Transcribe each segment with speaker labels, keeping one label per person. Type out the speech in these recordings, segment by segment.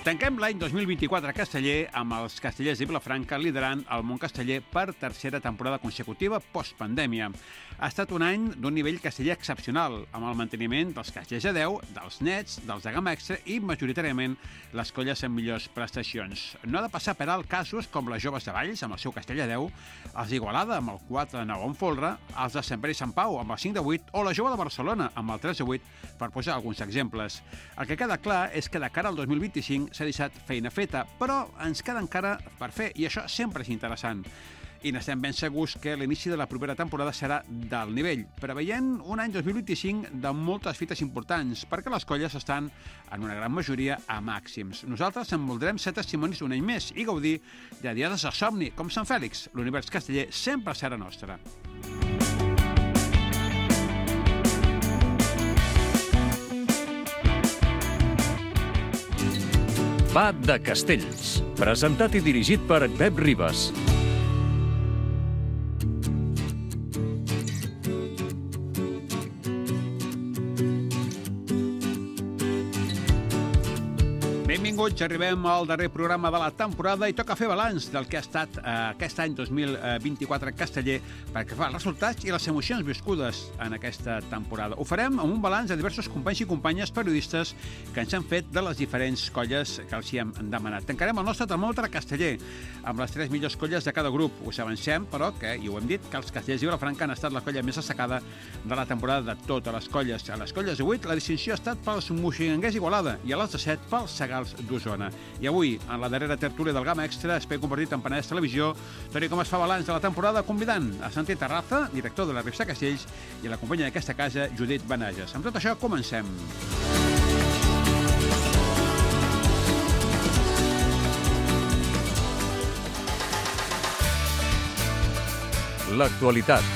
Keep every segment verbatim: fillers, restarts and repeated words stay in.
Speaker 1: Tanquem l'any dos mil vint-i-quatre casteller amb els castellers de Vilafranca liderant el món casteller per tercera temporada consecutiva postpandèmia. Ha estat un any d'un nivell casteller excepcional, amb el manteniment dels castellers de deu, dels nets, dels de gamma extra i, majoritàriament, les colles amb millors prestacions. No ha de passar per alt casos com les joves de Valls, amb el seu castell de deu, els d'Igualada, amb el quatre de nou en folre, els de Sant Pere i Sant Pau, amb el cinc de vuit, o la jove de Barcelona, amb el tres de vuit, per posar alguns exemples. El que queda clar és que de cara al dos mil vint-i-cinc s'ha deixat feina feta, però ens queda encara per fer, i això sempre és interessant. I n'estem ben segurs que l'inici de la propera temporada serà del nivell, preveient un any dos mil vint-i-cinc de moltes fites importants, perquè les colles estan, en una gran majoria, a màxims. Nosaltres en voldrem ser testimonis un any més i gaudir de diades de somni, com Sant Fèlix. L'univers casteller sempre serà nostre.
Speaker 2: Va de Castells, presentat i dirigit per Pep Ribas.
Speaker 1: Benvinguts, arribem al darrer programa de la temporada i toca fer balanç del que ha estat eh, aquest any dos mil vint-i-quatre casteller perquè fa els resultats i les emocions viscudes en aquesta temporada. Ho farem amb un balanç de diversos companys i companyes periodistes que ens han fet de les diferents colles que els hi hem demanat. Tancarem el nostre termòmetre casteller amb les tres millors colles de cada grup. Us avancem, però, que, i ho hem dit, que els castellers de Vilafranca han estat la colla més destacada de la temporada de totes les colles. A les colles de vuit, la distinció ha estat pels moixinguers Igualada i a les de set pels Segals d'Osona. I avui, en la darrera tertúlia del Gamma Extra, espai compartit amb Penedès Televisió, Toni com es fa balanç de la temporada, convidant a Santi Terraza, director de la revista Castells, i a la companya d'aquesta casa, Judit Benages. Amb tot això, comencem.
Speaker 2: L'actualitat.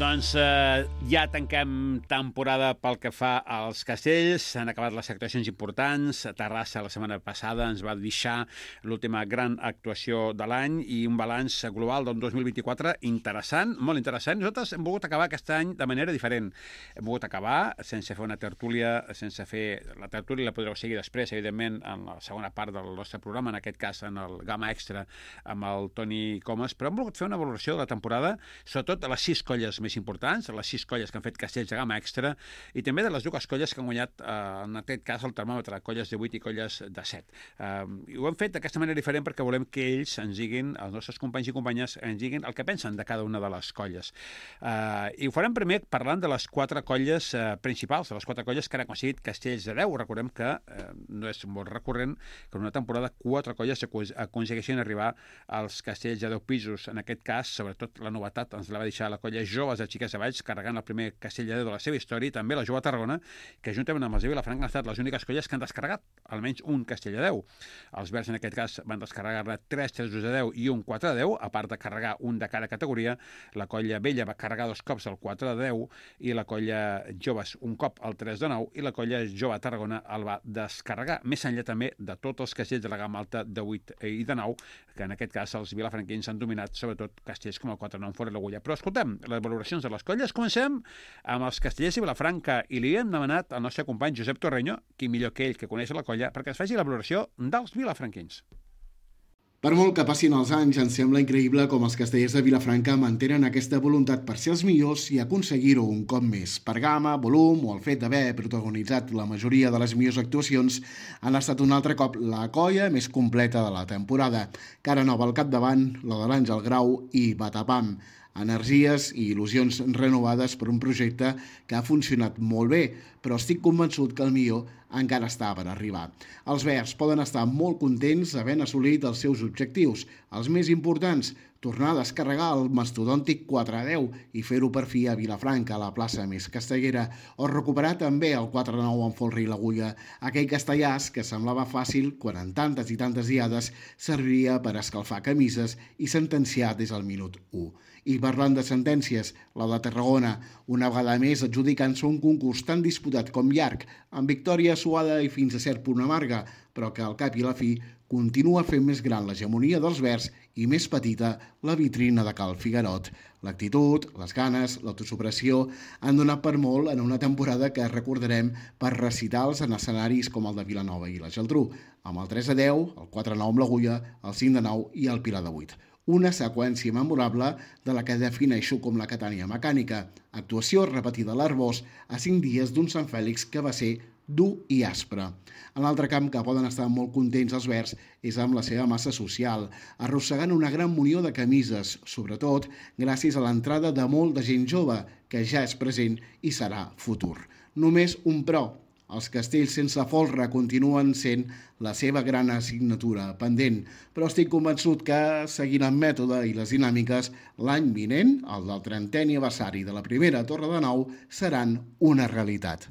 Speaker 1: Doncs eh, ja tanquem temporada pel que fa als castells. S'han acabat les actuacions importants. Terrassa la setmana passada ens va deixar l'última gran actuació de l'any i un balanç global del dos mil vint-i-quatre interessant, molt interessant. Nosaltres hem volgut acabar aquest any de manera diferent. Hem volgut acabar sense fer una tertúlia, sense fer... La tertúlia la podreu seguir després, evidentment, en la segona part del nostre programa, en aquest cas en el Gamma Extra, amb el Toni Comas, però hem volgut fer una valoració de la temporada, sobretot de les sis colles més importants, les sis colles que han fet castells de gamma extra i també de les dues colles que han guanyat, eh, en aquest cas, el termòmetre, colles de vuit i colles de set. Eh, I ho hem fet d'aquesta manera diferent perquè volem que ells ens diguin, els nostres companys i companyes, ens diguin el que pensen de cada una de les colles. Eh, I ho farem primer parlant de les quatre colles eh, principals, de les quatre colles que han aconseguit castells de deu. Recordem que eh, no és molt recurrent que en una temporada quatre colles aconsegueixin arribar als castells de deu pisos. En aquest cas, sobretot la novetat ens la va deixar la colla Joves de Xiques de Valls, carregant el primer castell de deu de la seva història, i també la Jove Tarragona, que juntament amb els de Vilafranca han estat les úniques colles que han descarregat almenys un castell de deu. Els Verds, en aquest cas, van descarregar-ne tres tres de deu i un quatre de deu, a part de carregar un de cada categoria. La colla Vella va carregar dos cops el quatre de deu i la colla Joves un cop el tres de nou i la colla Jove Tarragona el va descarregar. Més enllà també de tots els castells de la gamma alta de vuit i de nou, que en aquest cas els vilafranquins han dominat, sobretot castells com el quatre de nou en fora l'Agulla. Però escoltem, les valoracions de les colles. Comencem amb els castellers de Vilafranca i li hem demanat al nostre company Josep Torreño, qui millor que ell que coneix la colla, perquè es faci la valoració dels vilafranquins.
Speaker 3: Per molt que passin els anys, ens sembla increïble com els castellers de Vilafranca mantenen aquesta voluntat per ser els millors i aconseguir-ho un cop més. Per gamma, volum o el fet d'haver protagonitzat la majoria de les millors actuacions, han estat un altre cop la colla més completa de la temporada. Cara nova al capdavant, la de l'Àngel Grau i Batapam. Energies i il·lusions renovades per un projecte que ha funcionat molt bé, però estic convençut que el millor encara està per arribar. Els verds poden estar molt contents havent assolit els seus objectius, els més importants, tornar a descarregar el mastodòntic quatre a deu i fer-ho per fi a Vilafranca, a la plaça més castellera, o recuperar també el quatre a nou en folre i l'Agulla, aquell castellàs que semblava fàcil quan en tantes i tantes diades serviria per escalfar camises i sentenciar des del minut u. I parlant de sentències, la de Tarragona, una vegada més adjudicant-se un concurs tan disputat com llarg, amb victòria suada i fins a cert punt amarga, però que al cap i a la fi continua fent més gran l'hegemonia dels verds i més petita la vitrina de Cal Figuerot. L'actitud, les ganes, l'autosupressió han donat per molt en una temporada que recordarem per recitals en escenaris com el de Vilanova i la Geltrú, amb el tres a deu, el quatre a nou amb l'Agulla, el cinc a nou i el Pilar de vuit. Una seqüència memorable de la que defineixo com la Catània mecànica, actuació repetida a l'Arbós a cinc dies d'un Sant Fèlix que va ser dur i aspre. En l'altre camp que poden estar molt contents els verds és amb la seva massa social, arrossegant una gran munió de camises, sobretot gràcies a l'entrada de molt de gent jove, que ja és present i serà futur. Només un però. Els castells sense folre continuen sent la seva gran assignatura pendent, però estic convençut que, seguint el mètode i les dinàmiques, l'any vinent, el del trentè aniversari de la primera Torre de Nou, seran una realitat.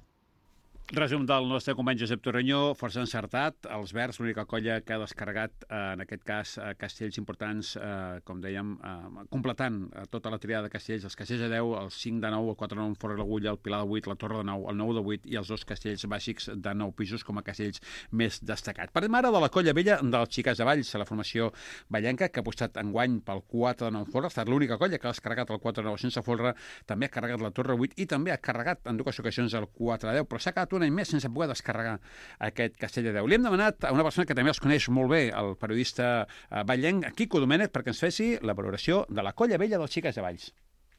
Speaker 1: Resum del nostre company Josep Torrenyó, força encertat. Els verds, l'única colla que ha descarregat, eh, en aquest cas, eh, castells importants, eh, com dèiem, eh, completant eh, tota la triada de castells, els castells de deu, el cinc de nou, el quatre de nou, el Fora de l'Agulla, el Pilar de vuit, la Torre de nou, el nou de vuit i els dos castells bàsics de nou pisos com a castells més destacats. Parlem ara de la colla vella dels Xiques de Valls, la formació vallenca, que ha apostat enguany pel quatre de nou folre, ha estat l'única colla que ha descarregat el quatre de nou sense folre, també ha carregat la Torre vuit i també ha carregat en dues ocasions el quatre de deu, però s'ha quedat un any més sense poder descarregar aquest castell de deu. Li hem demanat a una persona que també els coneix molt bé, el periodista vallenc, Quico Domènech, perquè ens fessi la valoració de la colla vella dels Xiques de Valls.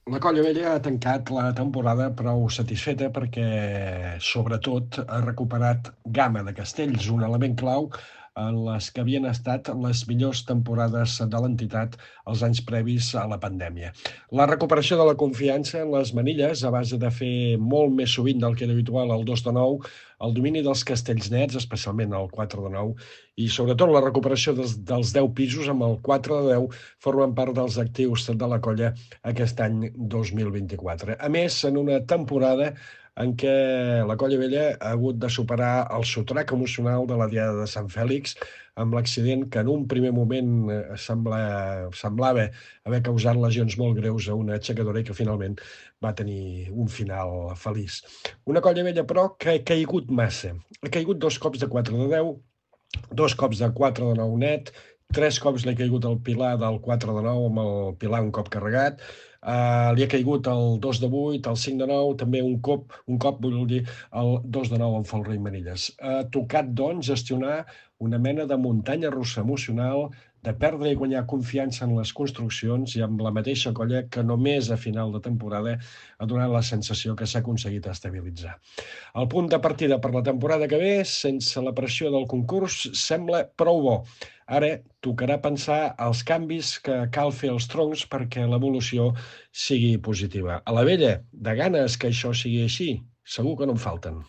Speaker 4: La colla vella ha tancat la temporada prou satisfeta perquè, sobretot, ha recuperat gamma de castells, un element clau en les que havien estat les millors temporades de l'entitat els anys previs a la pandèmia. La recuperació de la confiança en les manilles, a base de fer molt més sovint del que era habitual el dos de nou, el domini dels castells nets, especialment el quatre de nou, i sobretot la recuperació dels, dels deu pisos amb el quatre de deu formen part dels actius de la colla aquest any dos mil vint-i-quatre. A més, en una temporada en què la colla vella ha hagut de superar el sotrac emocional de la Diada de Sant Fèlix, amb l'accident que en un primer moment sembla, semblava haver causat lesions molt greus a una aixecadora i que finalment va tenir un final feliç. Una colla vella, però, que ha caigut massa. Ha caigut dos cops de quatre de deu, dos cops de quatre de nou net, tres cops li ha caigut el Pilar del quatre de nou amb el Pilar un cop carregat, Uh, li ha caigut el dos de vuit, el cinc de nou, també un cop, un cop vull dir, el dos de nou amb folre i manilles. Ha tocat, doncs, gestionar una mena de muntanya russa emocional, de perdre i guanyar confiança en les construccions i amb la mateixa colla que només a final de temporada ha donat la sensació que s'ha aconseguit estabilitzar. El punt de partida per la temporada que ve, sense la pressió del concurs, sembla prou bo. Ara tocarà pensar els canvis que cal fer als troncs perquè l'evolució sigui positiva. A la vella, de ganes que això sigui així, segur que no en falten.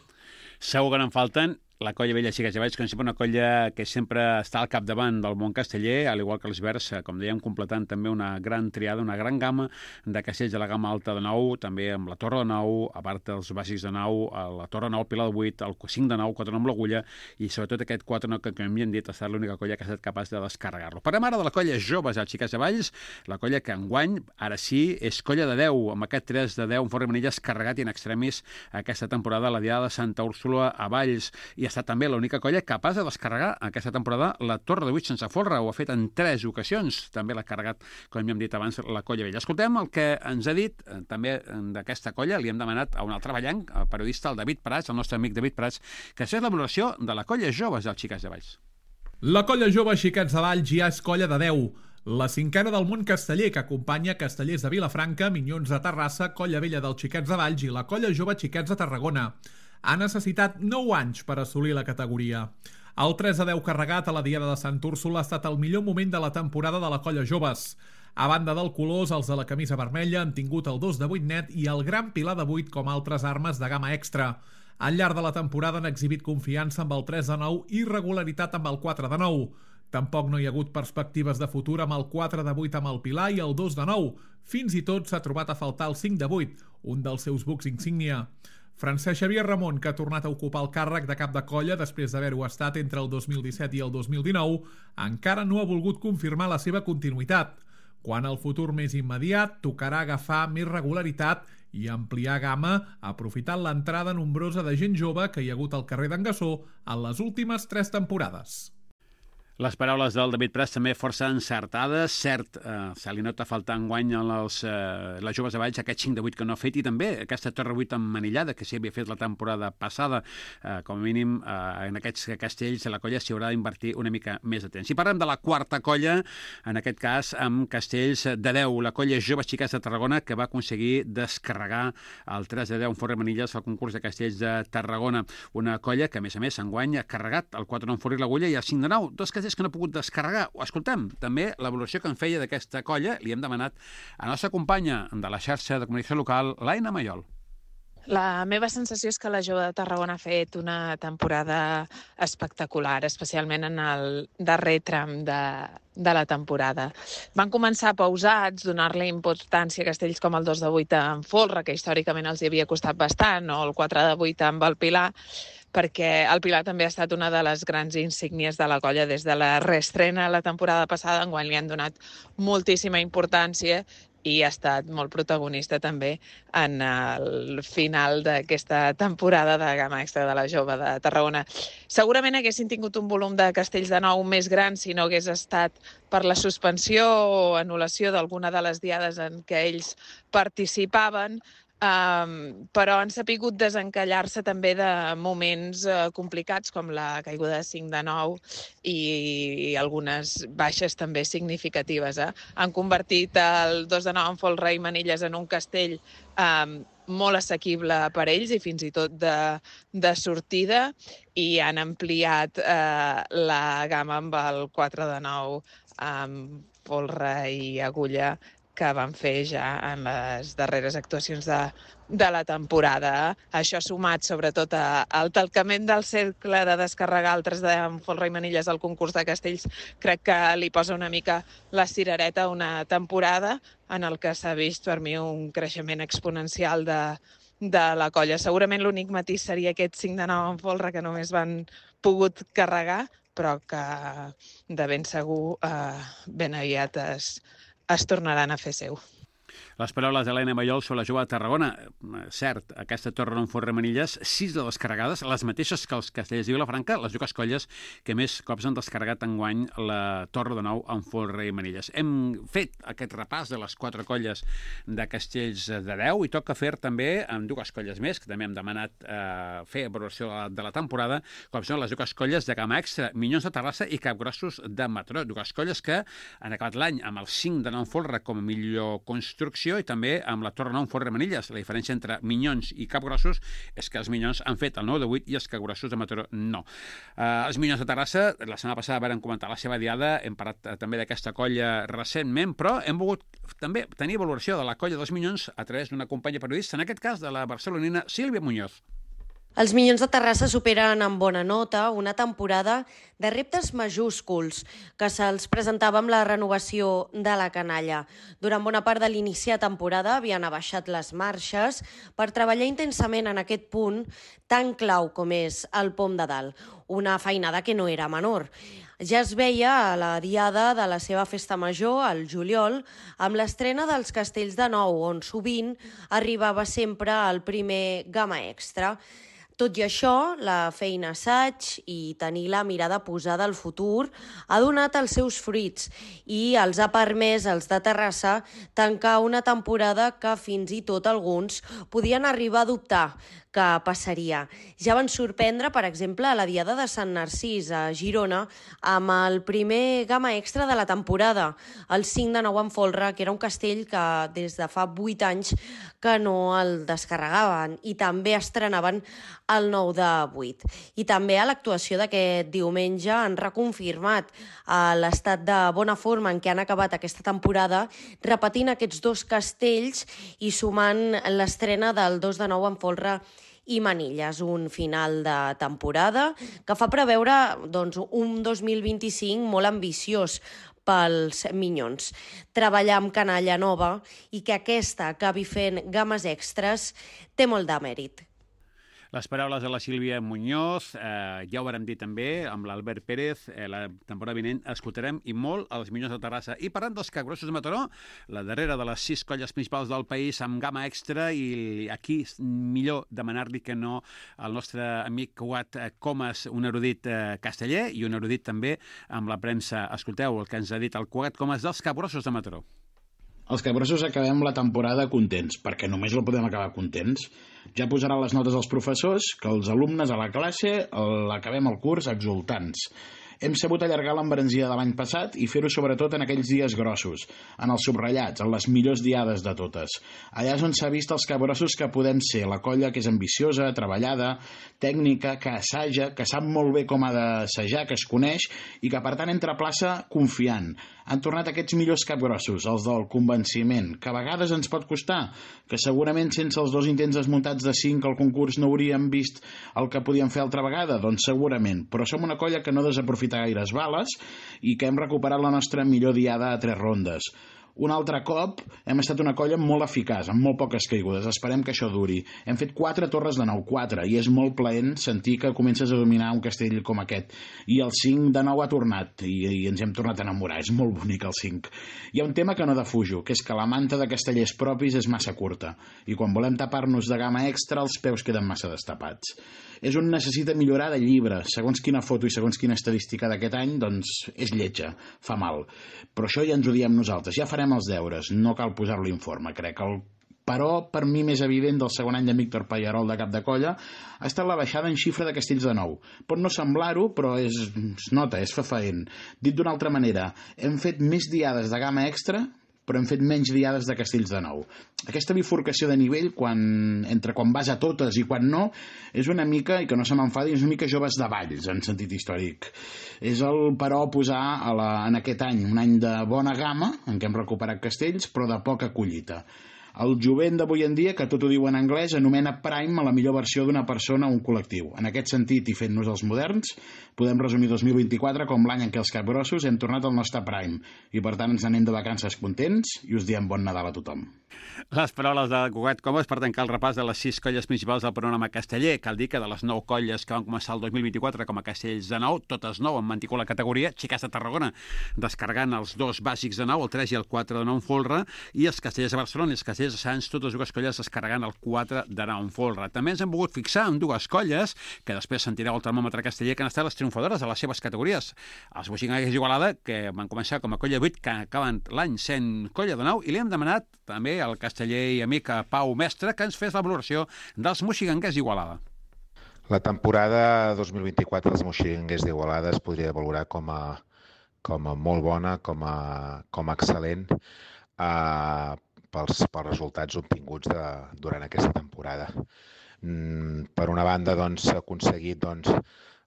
Speaker 1: Segur que no en falten. La colla vella Xiques de Valls, com sempre, una colla que sempre està al capdavant del món casteller, al igual que els verds, com dèiem, completant també una gran triada, una gran gamma de castells de la gamma alta de nou, també amb la Torre de nou, a part dels bàsics de nou, la Torre de nou, el Pilar de vuit, el cinc de nou, quatre de nou amb l'Agulla, i sobretot aquest quatre de nou que, com hem dit, ha estat l'única colla que ha estat capaç de descarregar-lo. Parlem ara de la colla joves, els Xiques de Valls, la colla que enguany, ara sí, és colla de deu, amb aquest tres de deu, en forra i manilles carregat i en extremis aquesta temporada a la Diada de Santa Úrsula a Valls, i ha estat també l'única colla capaç de descarregar aquesta temporada la Torre de vuit sense folre, ho ha fet en tres ocasions, també l'ha carregat, com hem dit abans, la colla vella. Escoltem el que ens ha dit eh, també d'aquesta colla, li hem demanat a un altre vallenc, el periodista, el David Prats, el nostre amic David Prats, que és la valoració de la colla joves dels Xiques de Valls.
Speaker 5: La colla jove Xiquets de Valls ja és colla de deu, la cinquena del món casteller que acompanya Castellers de Vilafranca, Minyons de Terrassa, Colla Vella dels Xiquets de Valls i la colla jove Xiquets de Tarragona. Ha necessitat nou anys per assolir la categoria. El tres a deu carregat a la Diada de Sant Úrsula ha estat el millor moment de la temporada de la colla joves. A banda del colors, els de la camisa vermella han tingut el dos de vuit net i el gran Pilar de vuit com altres armes de gamma extra. Al llarg de la temporada han exhibit confiança amb el tres de nou i regularitat amb el quatre de nou. Tampoc no hi ha hagut perspectives de futur amb el quatre de vuit amb el Pilar i el dos de nou. Fins i tot s'ha trobat a faltar el cinc de vuit, un dels seus bucs insígnia. Francesc Xavier Ramon, que ha tornat a ocupar el càrrec de cap de colla després d'haver-ho estat entre el dos mil disset i el dos mil dinou, encara no ha volgut confirmar la seva continuïtat. Quan el futur més immediat tocarà agafar més regularitat i ampliar gamma, aprofitant l'entrada nombrosa de gent jove que hi ha hagut al carrer d'en Gassó en les últimes tres temporades.
Speaker 1: Les paraules del David Pras també força encertades. Cert, eh, se li nota faltar enguany els, eh, les joves de Valls aquest cinc de vuit que no ha fet, i també aquesta torre vuit emmanillada que s'hi havia fet la temporada passada. Eh, com a mínim, eh, en aquests castells la colla s'hi haurà d'invertir una mica més de temps. Si parlem de la quarta colla, en aquest cas amb castells de deu, la colla Joves Xiquets de Tarragona, que va aconseguir descarregar el tres de deu en Forre Manilles al concurs de castells de Tarragona. Una colla que, a més a més, enguany ha carregat el quatre nou en Forre l'Agulla i el cinc de nou, dos castells que no ha pogut descarregar. Escoltem també l'evolució que en feia d'aquesta colla. Li hem demanat a la nostra companya de la xarxa de comunicació local, l'Aina Mayol.
Speaker 6: La meva sensació és que la Jove de Tarragona ha fet una temporada espectacular, especialment en el darrer tram de, de la temporada. Van començar pausats, donar-li importància a castells com el dos de vuit en Folre, que històricament els hi havia costat bastant, o el quatre de vuit amb el Pilar, perquè el Pilar també ha estat una de les grans insígnies de la colla des de la reestrena la temporada passada, enguany li han donat moltíssima importància i ha estat molt protagonista també en el final d'aquesta temporada de gamma extra de la Jove de Tarragona. Segurament haguessin tingut un volum de castells de nou més gran si no hagués estat per la suspensió o anul·lació d'alguna de les diades en què ells participaven, Um, però han sapigut desencallar-se també de moments uh, complicats com la caiguda de cinc de nou i, i algunes baixes també significatives. Eh? Han convertit el dos de nou en Folre i Manilles en un castell um, molt assequible per ells i fins i tot de, de sortida, i han ampliat uh, la gamma amb el quatre de nou amb Folre i Agulla, que van fer ja en les darreres actuacions de, de la temporada. Això sumat sobretot a, al talcament del cercle de descarregar altres de Folre i Manilles al concurs de castells, crec que li posa una mica la cirereta a una temporada en el que s'ha vist per mi un creixement exponencial de, de la colla. Segurament l'únic matís seria aquest cinc de nou en Folre que només van pogut carregar, però que de ben segur eh, ben aviat es es tornaran a fer seu.
Speaker 1: Les paraules d'Helena Mayol sobre la Jove de Tarragona. Cert, aquesta torre en Forre Manilles, sis de descarregades, les mateixes que els castells de Vilafranca, les dues colles que més cops han descarregat enguany la torre de nou en Forre i Manilles. Hem fet aquest repàs de les quatre colles de castells de deu i toca fer també amb dues colles més, que també hem demanat eh, fer valoració de la, de la temporada, com són les dues colles de gamma extra, Minyons de Terrassa i Capgrossos de Mataró. Dues colles que han acabat l'any amb el cinc de nou en Folre com a millor construcció i també amb la torre nou en Forre Manilles. La diferència entre Minyons i Capgrossos és que els Minyons han fet el nou de vuit i els Capgrossos de Mataró no. Uh, els Minyons de Terrassa, la setmana passada vam comentar la seva diada, hem parlat uh, també d'aquesta colla recentment, però hem volgut també tenir valoració de la colla dels Minyons a través d'una companya periodista, en aquest cas de la barcelonina Sílvia Muñoz.
Speaker 7: Els Minyons de Terrassa superen amb bona nota una temporada de reptes majúsculs que se'ls presentava amb la renovació de la canalla. Durant bona part de l'inici de temporada havien abaixat les marxes per treballar intensament en aquest punt tan clau com és el pom de dalt, una feinada que no era menor. Ja es veia a la diada de la seva festa major, al juliol, amb l'estrena dels castells de nou, on sovint arribava sempre el primer gamma extra. Tot i això, la feina assaig i tenir la mirada posada al futur ha donat els seus fruits i els ha permès als de Terrassa tancar una temporada que fins i tot alguns podien arribar a dubtar que passaria. Ja van sorprendre, per exemple, a la diada de Sant Narcís a Girona amb el primer gamma extra de la temporada, el cinc de nou en Folre, que era un castell que des de fa vuit anys que no el descarregaven i també estrenaven el nou de vuit. I també a l'actuació d'aquest diumenge han reconfirmat l'estat de bona forma en què han acabat aquesta temporada, repetint aquests dos castells i sumant l'estrena del dos de nou en Folre i Manilles, un final de temporada que fa preveure doncs, un dos mil vint-i-cinc molt ambiciós pels Minyons. Treballar amb canalla nova i que aquesta acabi fent games extres té molt de mèrit.
Speaker 1: Les paraules de la Sílvia Muñoz, eh, ja ho vam dir també, amb l'Albert Pérez, eh, la temporada vinent escoltarem i molt els Minyons de Terrassa. I parlant dels Capgrossos de Mataró, la darrera de les sis colles principals del país amb gamma extra, i aquí millor demanar-li que no al nostre amic Cugat Comas, un erudit eh, casteller i un erudit també amb la premsa. Escolteu el que ens ha dit el Cugat Comas dels Capgrossos de Mataró.
Speaker 8: Els Capgrossos acabem la temporada contents, perquè només la podem acabar contents. Ja posaran les notes als professors, que els alumnes a la classe l'acabem el curs exultants. Hem sabut allargar l'embranzida de l'any passat i fer-ho sobretot en aquells dies grossos, en els subratllats, en les millors diades de totes. Allà és on s'ha vist els capgrossos que podem ser, la colla que és ambiciosa, treballada, tècnica, que assaja, que sap molt bé com ha d'assajar, que es coneix i que per tant entra a plaça confiant. Han tornat aquests millors capgrossos, els del convenciment, que a vegades ens pot costar, que segurament sense els dos intents desmuntats de cinc al concurs no hauríem vist el que podíem fer altra vegada, doncs segurament, però som una colla que no desaprofita gaires bales i que hem recuperat la nostra millor diada a tres rondes. Un altre cop hem estat una colla molt eficaç, amb molt poques caigudes. Esperem que això duri. Hem fet quatre torres de nou, quatre, i és molt plaent sentir que comences a dominar un castell com aquest. I el cinc de nou ha tornat, i, i ens hem tornat a enamorar. És molt bonic el cinc. Hi ha un tema que no defujo, que és que la manta de castellers propis és massa curta, i quan volem tapar-nos de gamma extra els peus queden massa destapats. És un necessita millorar de llibre. Segons quina foto i segons quina estadística d'aquest any, doncs és lletja, fa mal. Però això ja ens ho diem nosaltres, ja farem els deures, no cal posar-lo informe, crec. El però, per mi més evident del segon any de Víctor Pallarol de cap de colla ha estat la baixada en xifra de castells de nou. Pot no semblar-ho, però és, es nota, és fefaent. Dit d'una altra manera, hem fet més diades de gamma extra, però hem fet menys diades de castells de nou. Aquesta bifurcació de nivell, quan, entre quan vas a totes i quan no, és una mica, i que no se m'enfadi, és una mica joves de Valls, en sentit històric. És el, però, posar a la, en aquest any, un any de bona gamma, en què hem recuperat castells, però de poca collita. El jovent d'avui en dia, que tot ho diu en anglès, anomena prime a la millor versió d'una persona o un col·lectiu. En aquest sentit, i fent-nos els moderns, podem resumir dos mil vint-i-quatre com l'any en què els capgrossos hem tornat al nostre prime, i per tant ens anem de vacances contents i us diem bon Nadal a tothom.
Speaker 1: Les paraules de Cugat Comas per tancar el repàs de les sis colles principals del panorama casteller. Cal dir que de les nou colles que van començar el dos mil vint-i-quatre com a castells de nou, totes nou han mantingut la categoria, Xiques de Tarragona descarregant els dos bàsics de nou, el tres i el quatre de nou en folre, i els castellers de Barcelona i els castellers de Sants, totes dues colles descarregant el quatre de nou en folre. També ens hem volgut fixar en dues colles, que després sentireu el termòmetre casteller, que han estat les triomfadores de les seves categories. Els Boixinguers d'Igualada, que van començar com a colla vuit, que acaben l'any sent colla de nou, i li hem demanat també al casteller i amic Pau Mestre que ens fes la valoració dels Moixinguers d'Igualada.
Speaker 9: La temporada dos mil vint-i-quatre dels Moixinguers d'Igualada es podria valorar com a, com a molt bona, com a, com a excel·lent, eh, pels, pels resultats obtinguts de, durant aquesta temporada. Mm, per una banda, doncs, s'ha aconseguit doncs,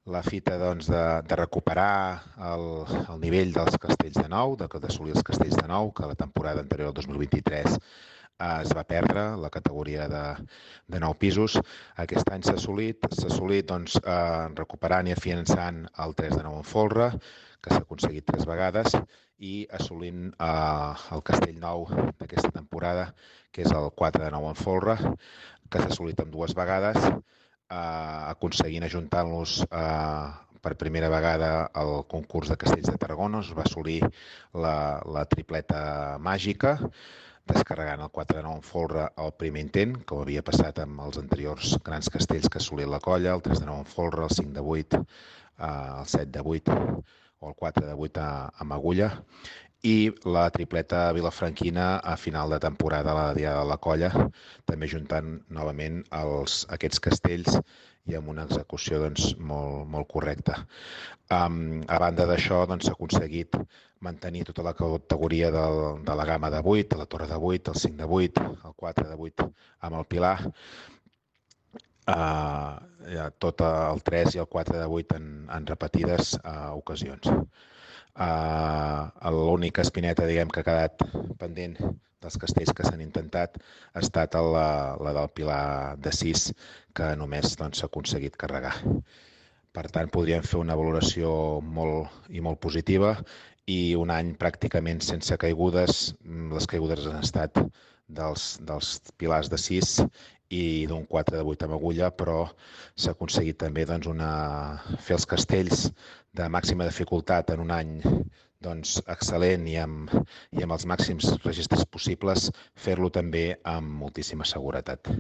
Speaker 9: la fita doncs, de, de recuperar el, el nivell dels castells de nou, d'assolir els castells de nou, que la temporada anterior, el dos mil vint-i-tres, eh, es va perdre, la categoria de, de nou pisos. Aquest any s'ha assolit, s'ha assolit doncs, eh, recuperant i afiançant el tres de nou en folre, que s'ha aconseguit tres vegades, i assolint eh, el castell nou d'aquesta temporada, que és el quatre de nou en folre, que s'ha assolit amb dues vegades, eh, aconseguint ajuntant-los eh, per primera vegada al concurs de castells de Tarragona. Es va assolir la, la tripleta màgica, descarregant el quatre de nou en folre al primer intent, com havia passat amb els anteriors grans castells que ha assolit la colla, el tres de nou en folre, el cinc de vuit, eh, el set de vuit o el quatre de vuit a, amb agulla, i la tripleta vilafranquina a final de temporada a la diada de la colla, també juntant novament els, aquests castells i amb una execució doncs, molt, molt correcta. Um, a banda d'això, doncs, s'ha aconseguit mantenir tota la categoria del, de la gamma de vuit, la torre de vuit, el cinc de vuit, el quatre de vuit amb el pilar, uh, ja, tot el tres i el quatre de vuit en, en repetides uh, ocasions. Uh, L'única espineta, diguem, que ha quedat pendent dels castells que s'han intentat ha estat la, la del pilar de sis, que només s'ha doncs, aconseguit carregar. Per tant, podríem fer una valoració molt i molt positiva i un any pràcticament sense caigudes. Les caigudes han estat dels, dels pilars de sis i d'un quatre de vuit amb agulla, però s'ha aconseguit també doncs, una... fer els castells de màxima dificultat en un any doncs, excel·lent i amb, i amb els màxims registres possibles, fer-lo també amb moltíssima seguretat.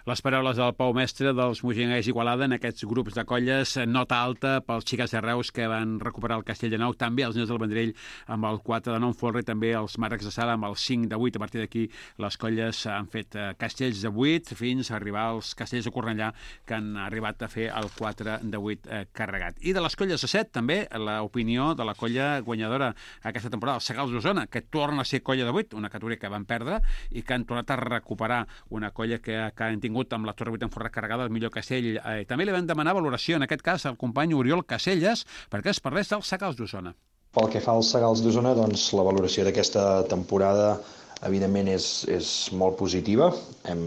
Speaker 1: Les paraules del Pau Mestre dels Moianès Igualada en aquests grups de colles, nota alta pels xiques de Reus que van recuperar el Castell de Nou, també els Nens del Vendrell amb el quatre de nou en folre, també els Màrrecs de Sala amb el cinc de vuit. A partir d'aquí les colles han fet castells de vuit fins a arribar als castells de Cornellà, que han arribat a fer el quatre de vuit carregat. I de les colles de set també l'opinió de la colla guanyadora aquesta temporada, els Segals d'Osona, que torna a ser colla de vuit, una categoria que van perdre i que han tornat a recuperar, una colla que, que han tingut amb la Torre vuit en folre carregada, el millor castell. Eh, també li vam demanar valoració, en aquest cas, al company Oriol Caselles, perquè es parlés dels Segals d'Osona.
Speaker 10: Pel que fa als Segals d'Osona, doncs, la valoració d'aquesta temporada, evidentment, és, és molt positiva. Hem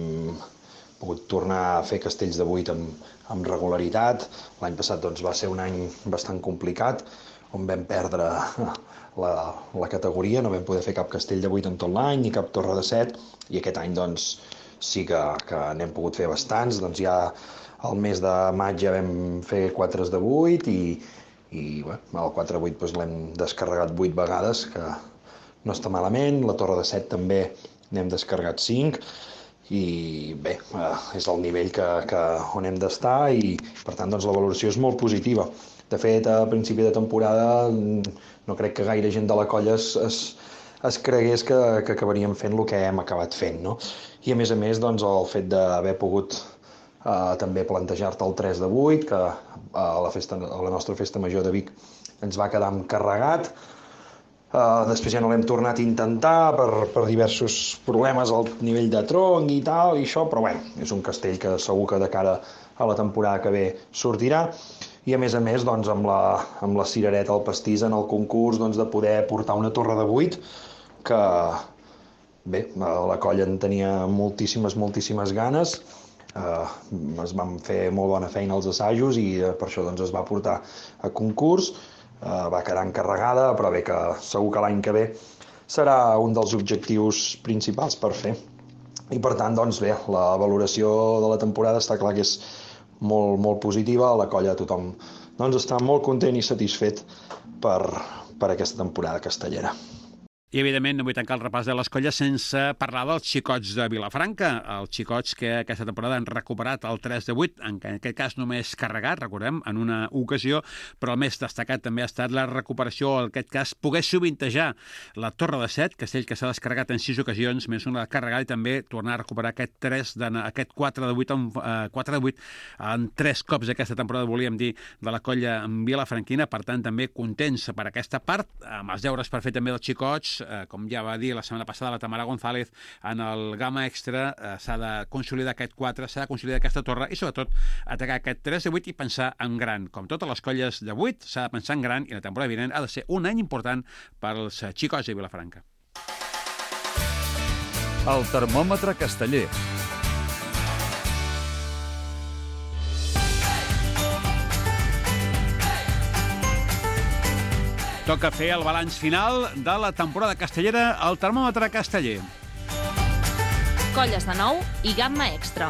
Speaker 10: pogut tornar a fer castells de vuit amb, amb regularitat. L'any passat doncs, va ser un any bastant complicat, on vam perdre la, la categoria, no vam poder fer cap castell de vuit en tot l'any, ni cap torre de set, i aquest any, doncs, sí que, que n'hem pogut fer bastants. Doncs ja al mes de maig ja vam fer quatre de vuit i, i bé, el quatre de vuit doncs, l'hem descarregat vuit vegades, que no està malament. La torre de set també n'hem descarregat cinc i bé, és el nivell que, que on hem d'estar i per tant doncs, la valoració és molt positiva. De fet, a principi de temporada no crec que gaire gent de la colla es, es, es cregués que, que acabaríem fent el que hem acabat fent, no? I a més a més, doncs, el fet d'haver pogut eh, també plantejar-te el tres de vuit, que a la, festa, a la nostra festa major de Vic ens va quedar encarregat. Eh, després ja no l'hem tornat a intentar per, per diversos problemes al nivell de tronc i tal, i això, però bé, és un castell que segur que de cara a la temporada que ve sortirà. I a més a més, doncs, amb, la, amb la cirereta al pastís en el concurs, doncs, de poder portar una torre de vuit que... Bé, la colla en tenia moltíssimes, moltíssimes ganes, eh, es van fer molt bona feina als assajos i eh, per això doncs, es va portar a concurs, eh, va quedar encarregada, però bé que segur que l'any que ve serà un dels objectius principals per fer. I per tant, doncs bé, la valoració de la temporada està clar que és molt, molt positiva, la colla tothom doncs, està molt content i satisfet per, per aquesta temporada castellera.
Speaker 1: I, evidentment, no vull tancar el repàs de les colles sense parlar dels xicots de Vilafranca, els xicots que aquesta temporada han recuperat el tres de vuit, en aquest cas només carregat, recordem, en una ocasió, però el més destacat també ha estat la recuperació, en aquest cas, poder sovintejar la Torre de set, castell que s'ha descarregat en sis ocasions, més una carregada, i també tornar a recuperar aquest, tres de, aquest quatre de vuit en, eh, quatre de vuit en tres cops aquesta temporada, volíem dir, de la colla vilafranquina. Per tant, també contents per aquesta part, amb els deures per fer també dels xicots. Eh, com ja va dir la setmana passada la Tamara González en el Gamma Extra, eh, s'ha de consolidar aquest quatre, s'ha de consolidar aquesta torre i sobretot atacar aquest tres de vuit i pensar en gran. Com totes les colles de vuit, s'ha de pensar en gran i la temporada vinent ha de ser un any important pels xicots de Vilafranca.
Speaker 2: El termòmetre casteller.
Speaker 1: Toca fer el balanç final de la temporada castellera al termòmetre casteller.
Speaker 11: Colles de nou i gamma extra.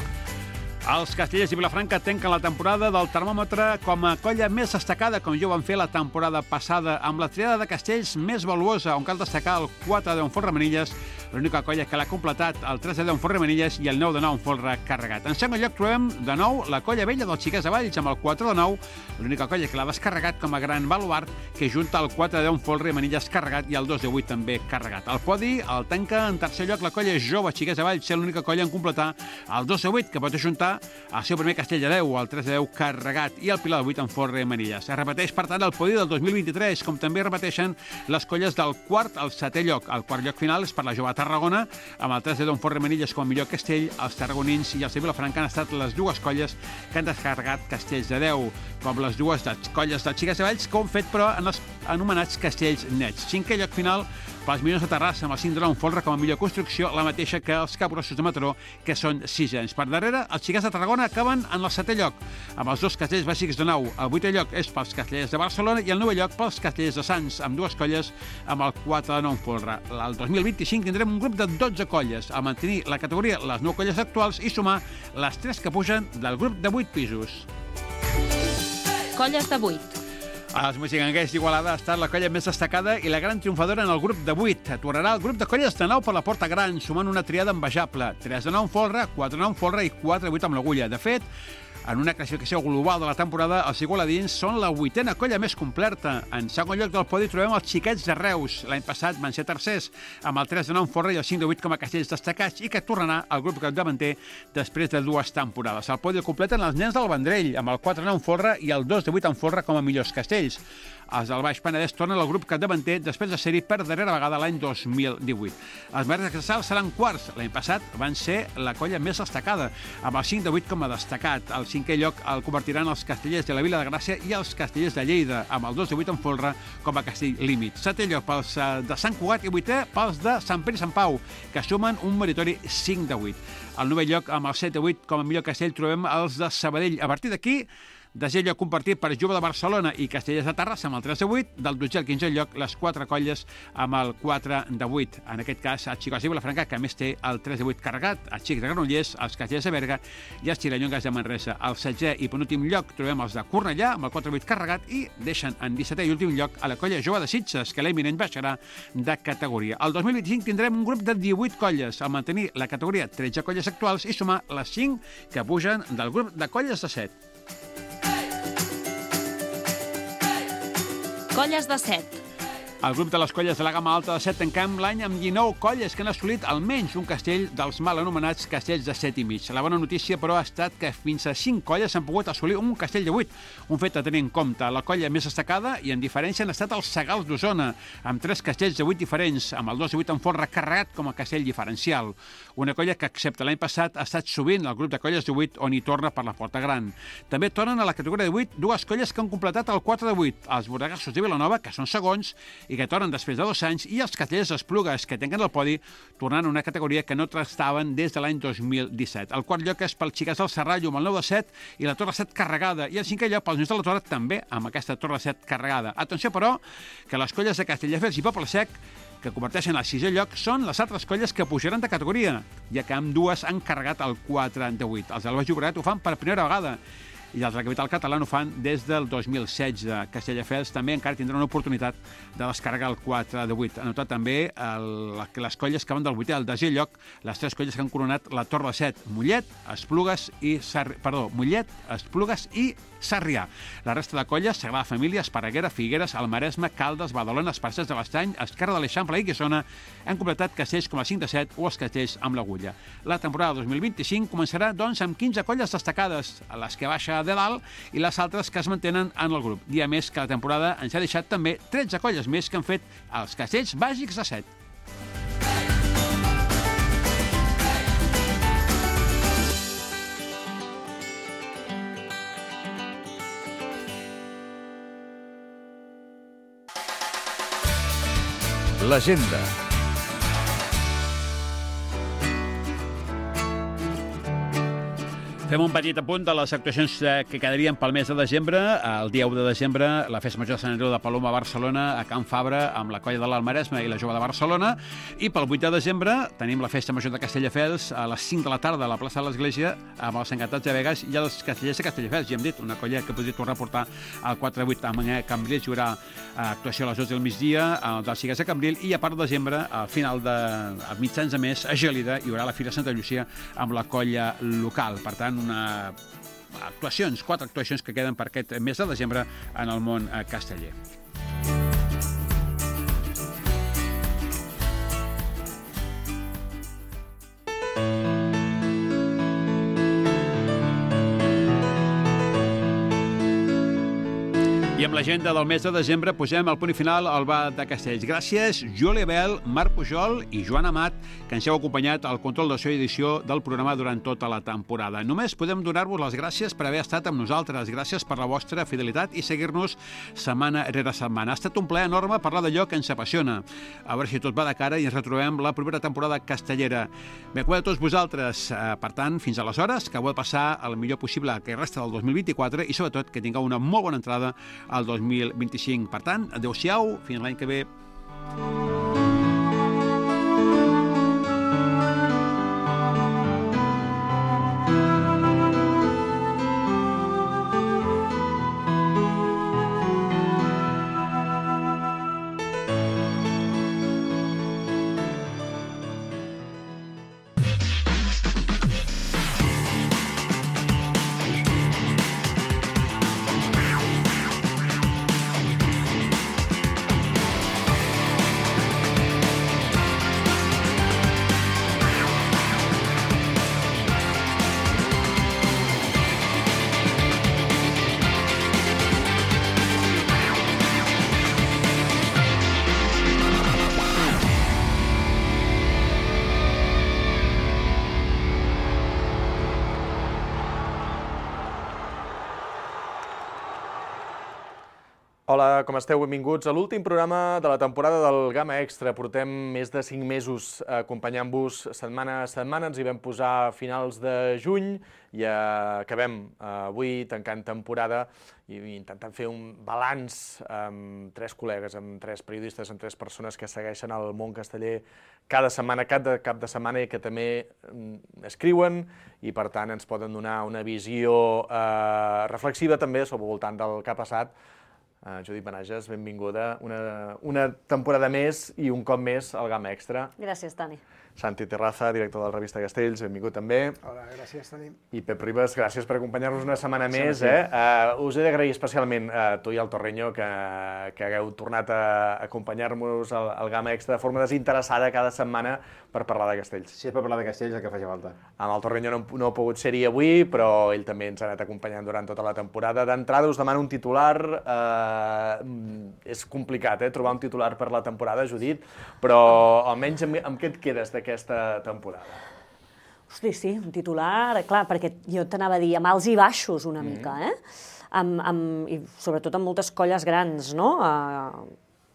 Speaker 1: Els castellers de Vilafranca tanquen la temporada del termòmetre com a colla més destacada, com ja ho van fer la temporada passada, amb la triada de castells més valuosa, on cal destacar el quatre de deu en folre manilles, l'única colla que l'ha completat, el tres de deu en folre manilles i el nou de nou en folre carregat. En segon lloc trobem de nou la colla vella dels Xiquets de Valls, amb el quatre de nou, l'única colla que l'ha descarregat com a gran baluart, que junta el quatre de deu en folre manilles carregat i el dos de vuit també carregat. El podi el tanca en tercer lloc la colla jove Xiquets de Valls, sent l'única colla en completar el dos de vuit, que pot ajuntar el seu primer castell de deu, el tres de deu carregat i el pilar de vuit en folre manilles. Es repeteix, per tant, el podi del dos mil vint-i-tres, com també repeteixen les colles del quart al setè lloc. El quart lloc final és per la jove Tarragona, amb el tres de deu en folre manilles com a millor castell. Els tarragonins i els de Vilafranca han estat les dues colles que han descarregat castells de deu, com les dues de colles dels Xiquets de Valls, que han fet, però, en els anomenats castells nets. Cinquè lloc final Pels Minyons de Terrassa, amb el cinc de nou folre com a millor construcció, la mateixa que els Capgrossos de Mataró, que són sisens. Per darrere, els Xiquets de Tarragona acaben en el setè lloc, amb els dos castellers bàsics de nou. El vuitè lloc és pels castellers de Barcelona i el novè lloc pels castellers de Sants, amb dues colles amb el quatre de nou folre. El dos mil vint-i-cinc tindrem un grup de dotze colles, a mantenir la categoria les nou colles actuals i sumar les tres que pugen del grup de vuit pisos.
Speaker 11: Colles de vuit.
Speaker 1: Els Moixiganguers d'Igualada ha estat la colla més destacada i la gran triomfadora en el grup de vuit. Aturarà el grup de colles de nou per la Porta Gran, sumant una triada envejable. tres de nou en folre, quatre de nou en folre i quatre de vuit amb l'agulla. De fet, en una classificació global de la temporada, els igualadins són la vuitena colla més completa. En segon lloc del podi trobem els Xiquets de Reus. L'any passat van ser tercers, amb el tres de nou en folre i el cinc de vuit com a castells destacats, i que tornarà al grup capdavanter després de dues temporades. El podi el completen els nens del Vendrell, amb el quatre de nou en folre i el dos de vuit en folre com a millors castells. Els del Baix Penedès tornen al grup capdavanter després de ser-hi per darrera vegada l'any dos mil divuit. Els Mares de Sal seran quarts. L'any passat van ser la colla més destacada, amb el cinc de vuit com a destacat. El cinquè lloc el convertiran els castellers de la Vila de Gràcia i els castellers de Lleida, amb el dos de vuit en folre com a castell límit. Setè lloc pels de Sant Cugat i vuitè pels de Sant Pere i Sant Pau, que sumen un meritori cinc de vuit. Al novè lloc, amb el set de vuit com a millor castell, trobem els de Sabadell. A partir d'aquí, desè lloc compartit per Jove de Barcelona i Castellers de Terrassa amb el tres de vuit, del dotze al quinze lloc les quatre colles amb el quatre de vuit. En aquest cas, el Xicots de Vilafranca, que més té el tres de vuit carregat, el Xic de Granollers, els Castellers de Berga i els Tirallongues de Manresa. Al setzè i penúltim lloc trobem els de Cornellà amb el quatre de vuit carregat i deixen en dissetè i últim lloc a la colla Jove de Sitges, que l'eminent baixarà de categoria. El dos mil vint-i-cinc tindrem un grup de divuit colles, al mantenir la categoria tretze colles actuals i sumar les cinc que pugen del grup de colles de set.
Speaker 11: Colles de set.
Speaker 1: El grup de les colles de la gamma alta de set tanquem l'any amb dinou colles que han assolit almenys un castell dels mal anomenats castells de set i mig. La bona notícia, però, ha estat que fins a cinc colles han pogut assolir un castell de vuit, un fet a tenir en compte. La colla més destacada i en diferència han estat els Segals d'Osona, amb tres castells de vuit diferents, amb el dos de vuit en folre carregat com a castell diferencial. Una colla que, excepte l'any passat, ha estat sovint al grup de colles de vuit on hi torna per la Porta Gran. També tornen a la categoria de vuit dues colles que han completat el quatre de vuit, els Borregassos de Vilanova, que són segons, i que tornen després de dos anys, i els castellers Esplugues, que tenen el podi, tornant a una categoria que no trastaven des de l'any dos mil disset. El quart lloc és pel Xiquets del Serrallo, amb el nou de set i la Torre set carregada, i el cinquè lloc pels Nens de la Torre, també amb aquesta Torre set carregada. Atenció, però, que les colles de Castelldefels i Poble Sec, que converteixen al sisè lloc, són les altres colles que pujaran de categoria, ja que amb dues han carregat el quatre de vuit. Els del Baix Llobregat ho fan per primera vegada, i els de la capital catalana ho fan des del dos mil setze. Castelldefels també encara tindrà una oportunitat de descarregar el quatre de vuit. Ha notat també el, que les colles que van del vuitè al desè lloc, les tres colles que han coronat la Torre de set, Mollet, Esplugues i Sarri... Perdó, Mollet, Esplugues i Sarrià. La resta de colles, Sagrada Família, Esparreguera, Figueres, el Maresme, Caldes, Badalona, Esparcers de l'Estany, Esquerra de l'Eixample i Guissona han completat castells com a cinc de set o els castells amb l'agulla. La temporada dos mil vint-i-cinc començarà, doncs, amb quinze colles destacades, a les que baixa de dalt i les altres que es mantenen en el grup. Dia més que la temporada ens ha deixat també tretze colles més que han fet els castells bàsics de set.
Speaker 2: L'agenda.
Speaker 1: Fem un petit apunt de les actuacions que quedarien pel mes de desembre. El dia u de desembre, la Festa Major de Sant Andreu de Paloma a Barcelona, a Can Fabra, amb la colla de l'Almaresme i la Jove de Barcelona. I pel vuit de desembre tenim la Festa Major de Castelldefels a les cinc de la tarda a la plaça de l'Església amb els Encantats de Begues i els Castellers de Castelldefels. Ja hem dit, una colla que podria tornar a portar al quatre de vuit. A Cambrils hi haurà actuació a les dotze del migdia, dels Xiquets de Cambril, i a part de desembre, al final de a mitjans de mes, a Gèlida, hi haurà la Fira Santa Llucia amb la colla local. Per tant, una actuacions, quatre actuacions que queden per aquest mes de desembre en el món casteller. I amb l'agenda del mes de desembre posem el punt final al bar de Castells. Gràcies, Júlia Bel, Marc Pujol i Joan Amat, que ens heu acompanyat al control de so i edició del programa durant tota la temporada. Només podem donar-vos les gràcies per haver estat amb nosaltres. Gràcies per la vostra fidelitat i seguir-nos setmana rere setmana. Ha estat un plaer enorme parlar d'allò que ens apassiona. A veure si tot va de cara i ens retrobem la propera temporada castellera. Ben cuida a tots vosaltres. Per tant, fins aleshores, que heu de passar el millor possible que resta del dos mil vint-i-quatre i, sobretot, que tingueu una molt bona entrada al dos mil vint-i-cinc. Per tant, adeu-siau, fins l'any que ve.
Speaker 12: Hola, com esteu? Benvinguts a l'últim programa de la temporada del Gamma Extra. Portem més de cinc mesos acompanyant-vos setmana a setmana. Ens hi vam posar a finals de juny i acabem avui tancant temporada i intentant fer un balanç amb tres col·legues, amb tres periodistes, amb tres persones que segueixen el món casteller cada setmana, cada cap de setmana, i que també escriuen i, per tant, ens poden donar una visió reflexiva també sobre el voltant del que ha passat. Uh, Judit Benages, benvinguda. Una, una temporada més i un cop més al Gamma Extra.
Speaker 13: Gràcies, Toni.
Speaker 12: Santi Terraza, director de la revista Castells, benvingut també.
Speaker 14: Hola, gràcies, Toni.
Speaker 12: I Pep Ribas, gràcies per acompanyar-nos una setmana més. Eh? Uh, us he d'agrair especialment a tu i al Torreño que, que hagueu tornat a acompanyar-nos al, al Gamma Extra de forma desinteressada cada setmana per parlar de Castells.
Speaker 14: Sí, és per parlar de Castells el que faci falta.
Speaker 12: Amb el Torreño no, no ha pogut ser-hi avui, però ell també ens ha anat acompanyant durant tota la temporada. D'entrada us demano un titular. Uh, és complicat, eh, trobar un titular per la temporada, Judit, però almenys amb, amb què et quedes d'aquesta temporada?
Speaker 13: Hosti, sí, un titular, clar, perquè jo t'anava a dir amb alts i baixos una mm. mica, eh? Amb, amb, I sobretot amb moltes colles grans, no? Uh,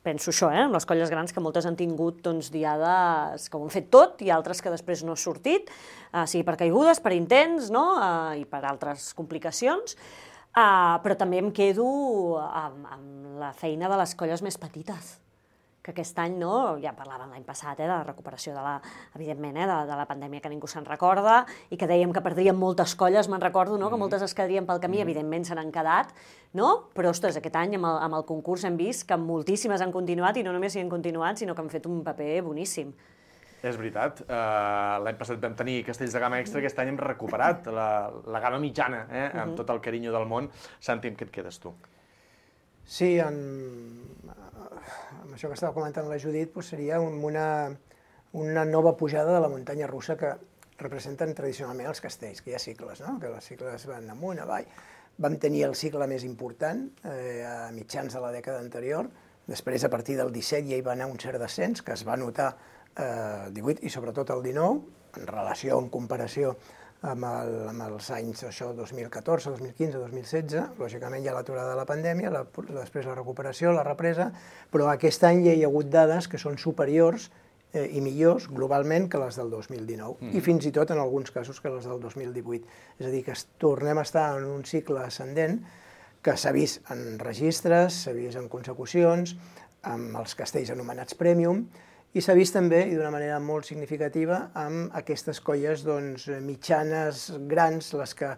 Speaker 13: penso això, eh? Amb les colles grans, que moltes han tingut doncs, diades que ho han fet tot i altres que després no ha sortit, uh, sigui per caigudes, per intents, no? Uh, i per altres complicacions. Uh, però també em quedo amb, amb la feina de les colles més petites, que aquest any, no, ja parlàvem l'any passat, eh, de la recuperació, de la, evidentment, eh, de, de la pandèmia que ningú se'n recorda, i que dèiem que perdríem moltes colles, me'n recordo, no, que moltes es quedarien pel camí, evidentment se n'han quedat, no? Però, ostres, aquest any amb el, amb el concurs hem vist que moltíssimes han continuat, i no només hi han continuat, sinó que han fet un paper boníssim.
Speaker 12: És veritat. Uh, L'any passat vam tenir Castells de gamma extra, aquest any hem recuperat la, la gamma mitjana, eh, amb uh-huh. tot el carinyo del món. Santi, amb què et quedes tu?
Speaker 14: Sí, en, amb això que estava comentant la Judit, doncs seria una, una nova pujada de la muntanya russa que representen tradicionalment els castells, que hi ha cicles, no? Que els cicles van amunt, avall. Vam tenir el cicle més important eh, a mitjans de la dècada anterior, després a partir del disset ja hi va anar un cert descens, que es va notar el divuit i sobretot el dinou, en relació, en comparació amb, el, amb els anys això, dos mil catorze, dos mil quinze, dos mil setze, lògicament hi ha l'aturada de la pandèmia, la, després la recuperació, la represa, però aquest any ja hi ha hagut dades que són superiors eh, i millors globalment que les del dos mil dinou, mm. i fins i tot en alguns casos que les del dos mil divuit. És a dir, que tornem a estar en un cicle ascendent que s'ha vist en registres, s'ha vist en consecucions, amb els castells anomenats Premium, i s'ha vist també, i d'una manera molt significativa, amb aquestes colles doncs, mitjanes, grans, les, que,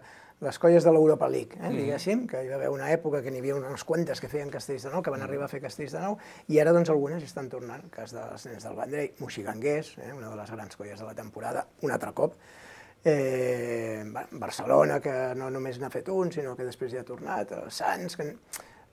Speaker 14: les colles de l'Europa League, eh, diguéssim, que hi va haver una època que n'hi havia unes quantes que feien castells de nou, que van arribar a fer castells de nou, i ara doncs, algunes estan tornant, el cas dels nens del Vendrell, Moixiganguers, eh, una de les grans colles de la temporada, un altre cop, eh, Barcelona, que no només n'ha fet un, sinó que després hi ha tornat, els Sants, que...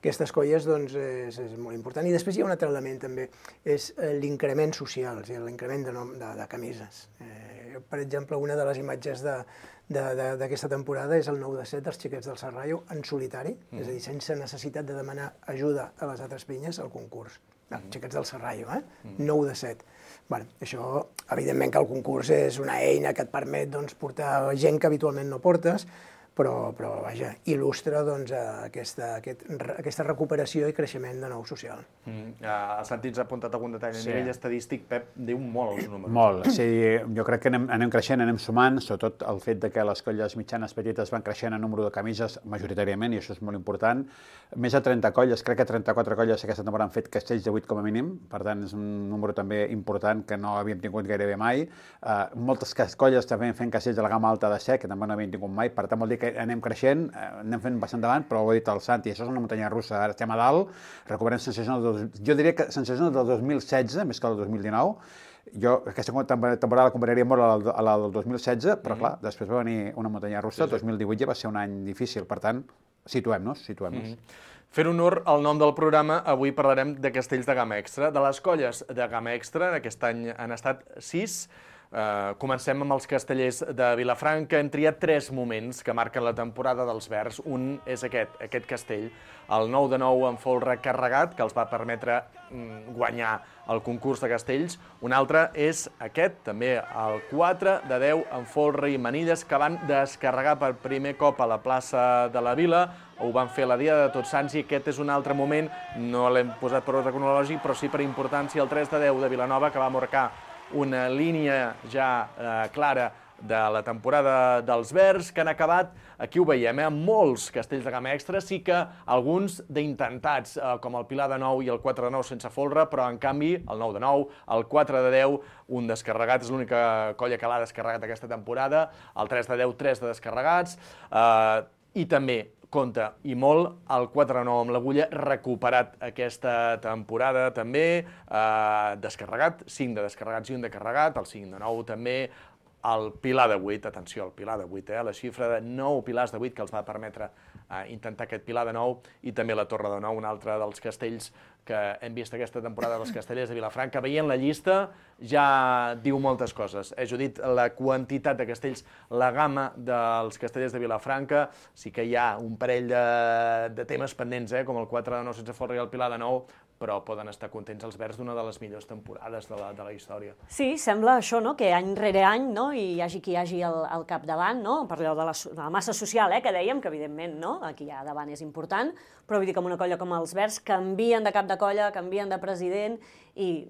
Speaker 14: Aquestes colles doncs, és, és molt important. I després hi ha un altre element també, és l'increment social, és a dir, l'increment de, de, de camises. Eh, Per exemple, una de les imatges d'aquesta temporada és el nou de set dels xiquets del Serrallo en solitari, és a dir, sense necessitat de demanar ajuda a les altres pinyes al concurs. Xiquets del Serrallo, eh? nou de set. Això, evidentment que el concurs és una eina que et permet portar gent que habitualment no portes, però, vaja, il·lustra aquesta recuperació i creixement de nou social.
Speaker 12: A Santi ens ha apuntat algun detall. A nivell estadístic, Pep, diu molt els números.
Speaker 1: Molt, sí. Jo crec que anem creixent, anem sumant, sobretot el fet que les colles mitjanes petites van creixent en número de camises majoritàriament, i això és molt important. Més de trenta colles, crec que trenta-quatre colles aquesta temporada han fet castells de vuit com a mínim, per tant és un número també important que no havíem tingut gairebé mai. Moltes colles també fent castells de la gamma alta de sec, que també no havíem tingut mai, per tant vol dir que anem creixent, anem fent bastant endavant, però ho ha dit el Santi, això és una muntanya russa, ara estem a dalt, recuperem sensacions, jo diria que sensacions del dos mil setze, més que del dos mil dinou. Jo aquesta temporada la compararia molt a la del dos mil setze, però clar, després va venir una muntanya russa, el dos mil divuit ja va ser un any difícil, per tant, situem-nos, situem-nos.
Speaker 12: Fent honor al nom del programa, avui parlarem de castells de gamma extra. De les colles de gamma extra, aquest any han estat sis. Comencem amb els castellers de Vilafranca. Hem triat tres moments que marquen la temporada dels verds. Un és aquest, aquest castell, el nou de nou en folre carregat, que els va permetre guanyar el concurs de castells. Un altre és aquest, també el quatre de deu en folre i manilles, que van descarregar per primer cop a la plaça de la Vila. Ho van fer la dia de Tots Sants i aquest és un altre moment, no l'hem posat per ordre cronològic, però sí per importància, el tres de deu de Vilanova, que va marcar una línia ja clara de la temporada dels verds, que han acabat, aquí ho veiem, amb molts castells de gamma extra, sí que alguns d'intentats, com el Pilar de nou i el quatre de nou sense folre, però en canvi el nou de nou, el quatre de deu, un descarregat, és l'única colla que l'ha descarregat aquesta temporada, el tres de deu, tres de descarregats, i també compta, i molt, el quatre de nou amb l'agulla, recuperat aquesta temporada també, descarregat, cinc de descarregats i un de carregat, el cinc de nou també, el Pilar de vuit, atenció, el Pilar de vuit, la xifra de nou pilars de vuit que els va permetre intentar aquest Pilar de nou, i també la Torre de nou, un altre dels castells que hem vist aquesta temporada dels castellers de Vilafranca. Veient la llista ja diu moltes coses. Eh, Judit, la quantitat de castells, la gamma dels castellers de Vilafranca, sí que hi ha un parell de, de temes pendents, eh, com el quatre de nou sense folre i el Pilar de nou, però poden estar contents els verds d'una de les millors temporades de la, de la història.
Speaker 13: Sí, sembla això, no?, que any rere any, no?, i hi hagi qui hi hagi al, al capdavant, no?, per allò de la, de la massa social, eh?, que dèiem, que evidentment, no?, aquí hi ha davant és important, però vull dir que amb una colla com els verds canvien de cap de colla, canvien de president i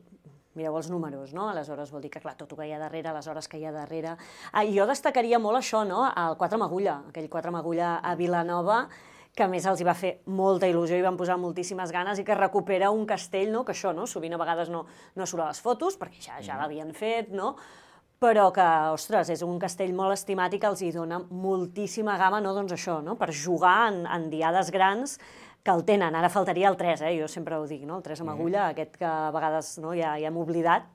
Speaker 13: mireu els números, no? Aleshores vol dir que, clar, tot el que hi ha darrere, les hores que hi ha darrere. Ah, jo destacaria molt això, no?, el quatre amb agulla, aquell quatre amb agulla a Vilanova, que a més els hi va fer molta il·lusió i van posar moltíssimes ganes i que recupera un castell, no?, que això, no?, sovint a vegades no, no surt a les fotos, perquè ja, ja l'havien fet, no?, però que, ostres, és un castell molt estimat i que els hi dona moltíssima gamma, no?, doncs això, no?, per jugar en, en diades grans que el tenen. Ara faltaria el tres, eh?, jo sempre ho dic, no?, el tres amb agulla, aquest que a vegades no, ja, ja hem oblidat,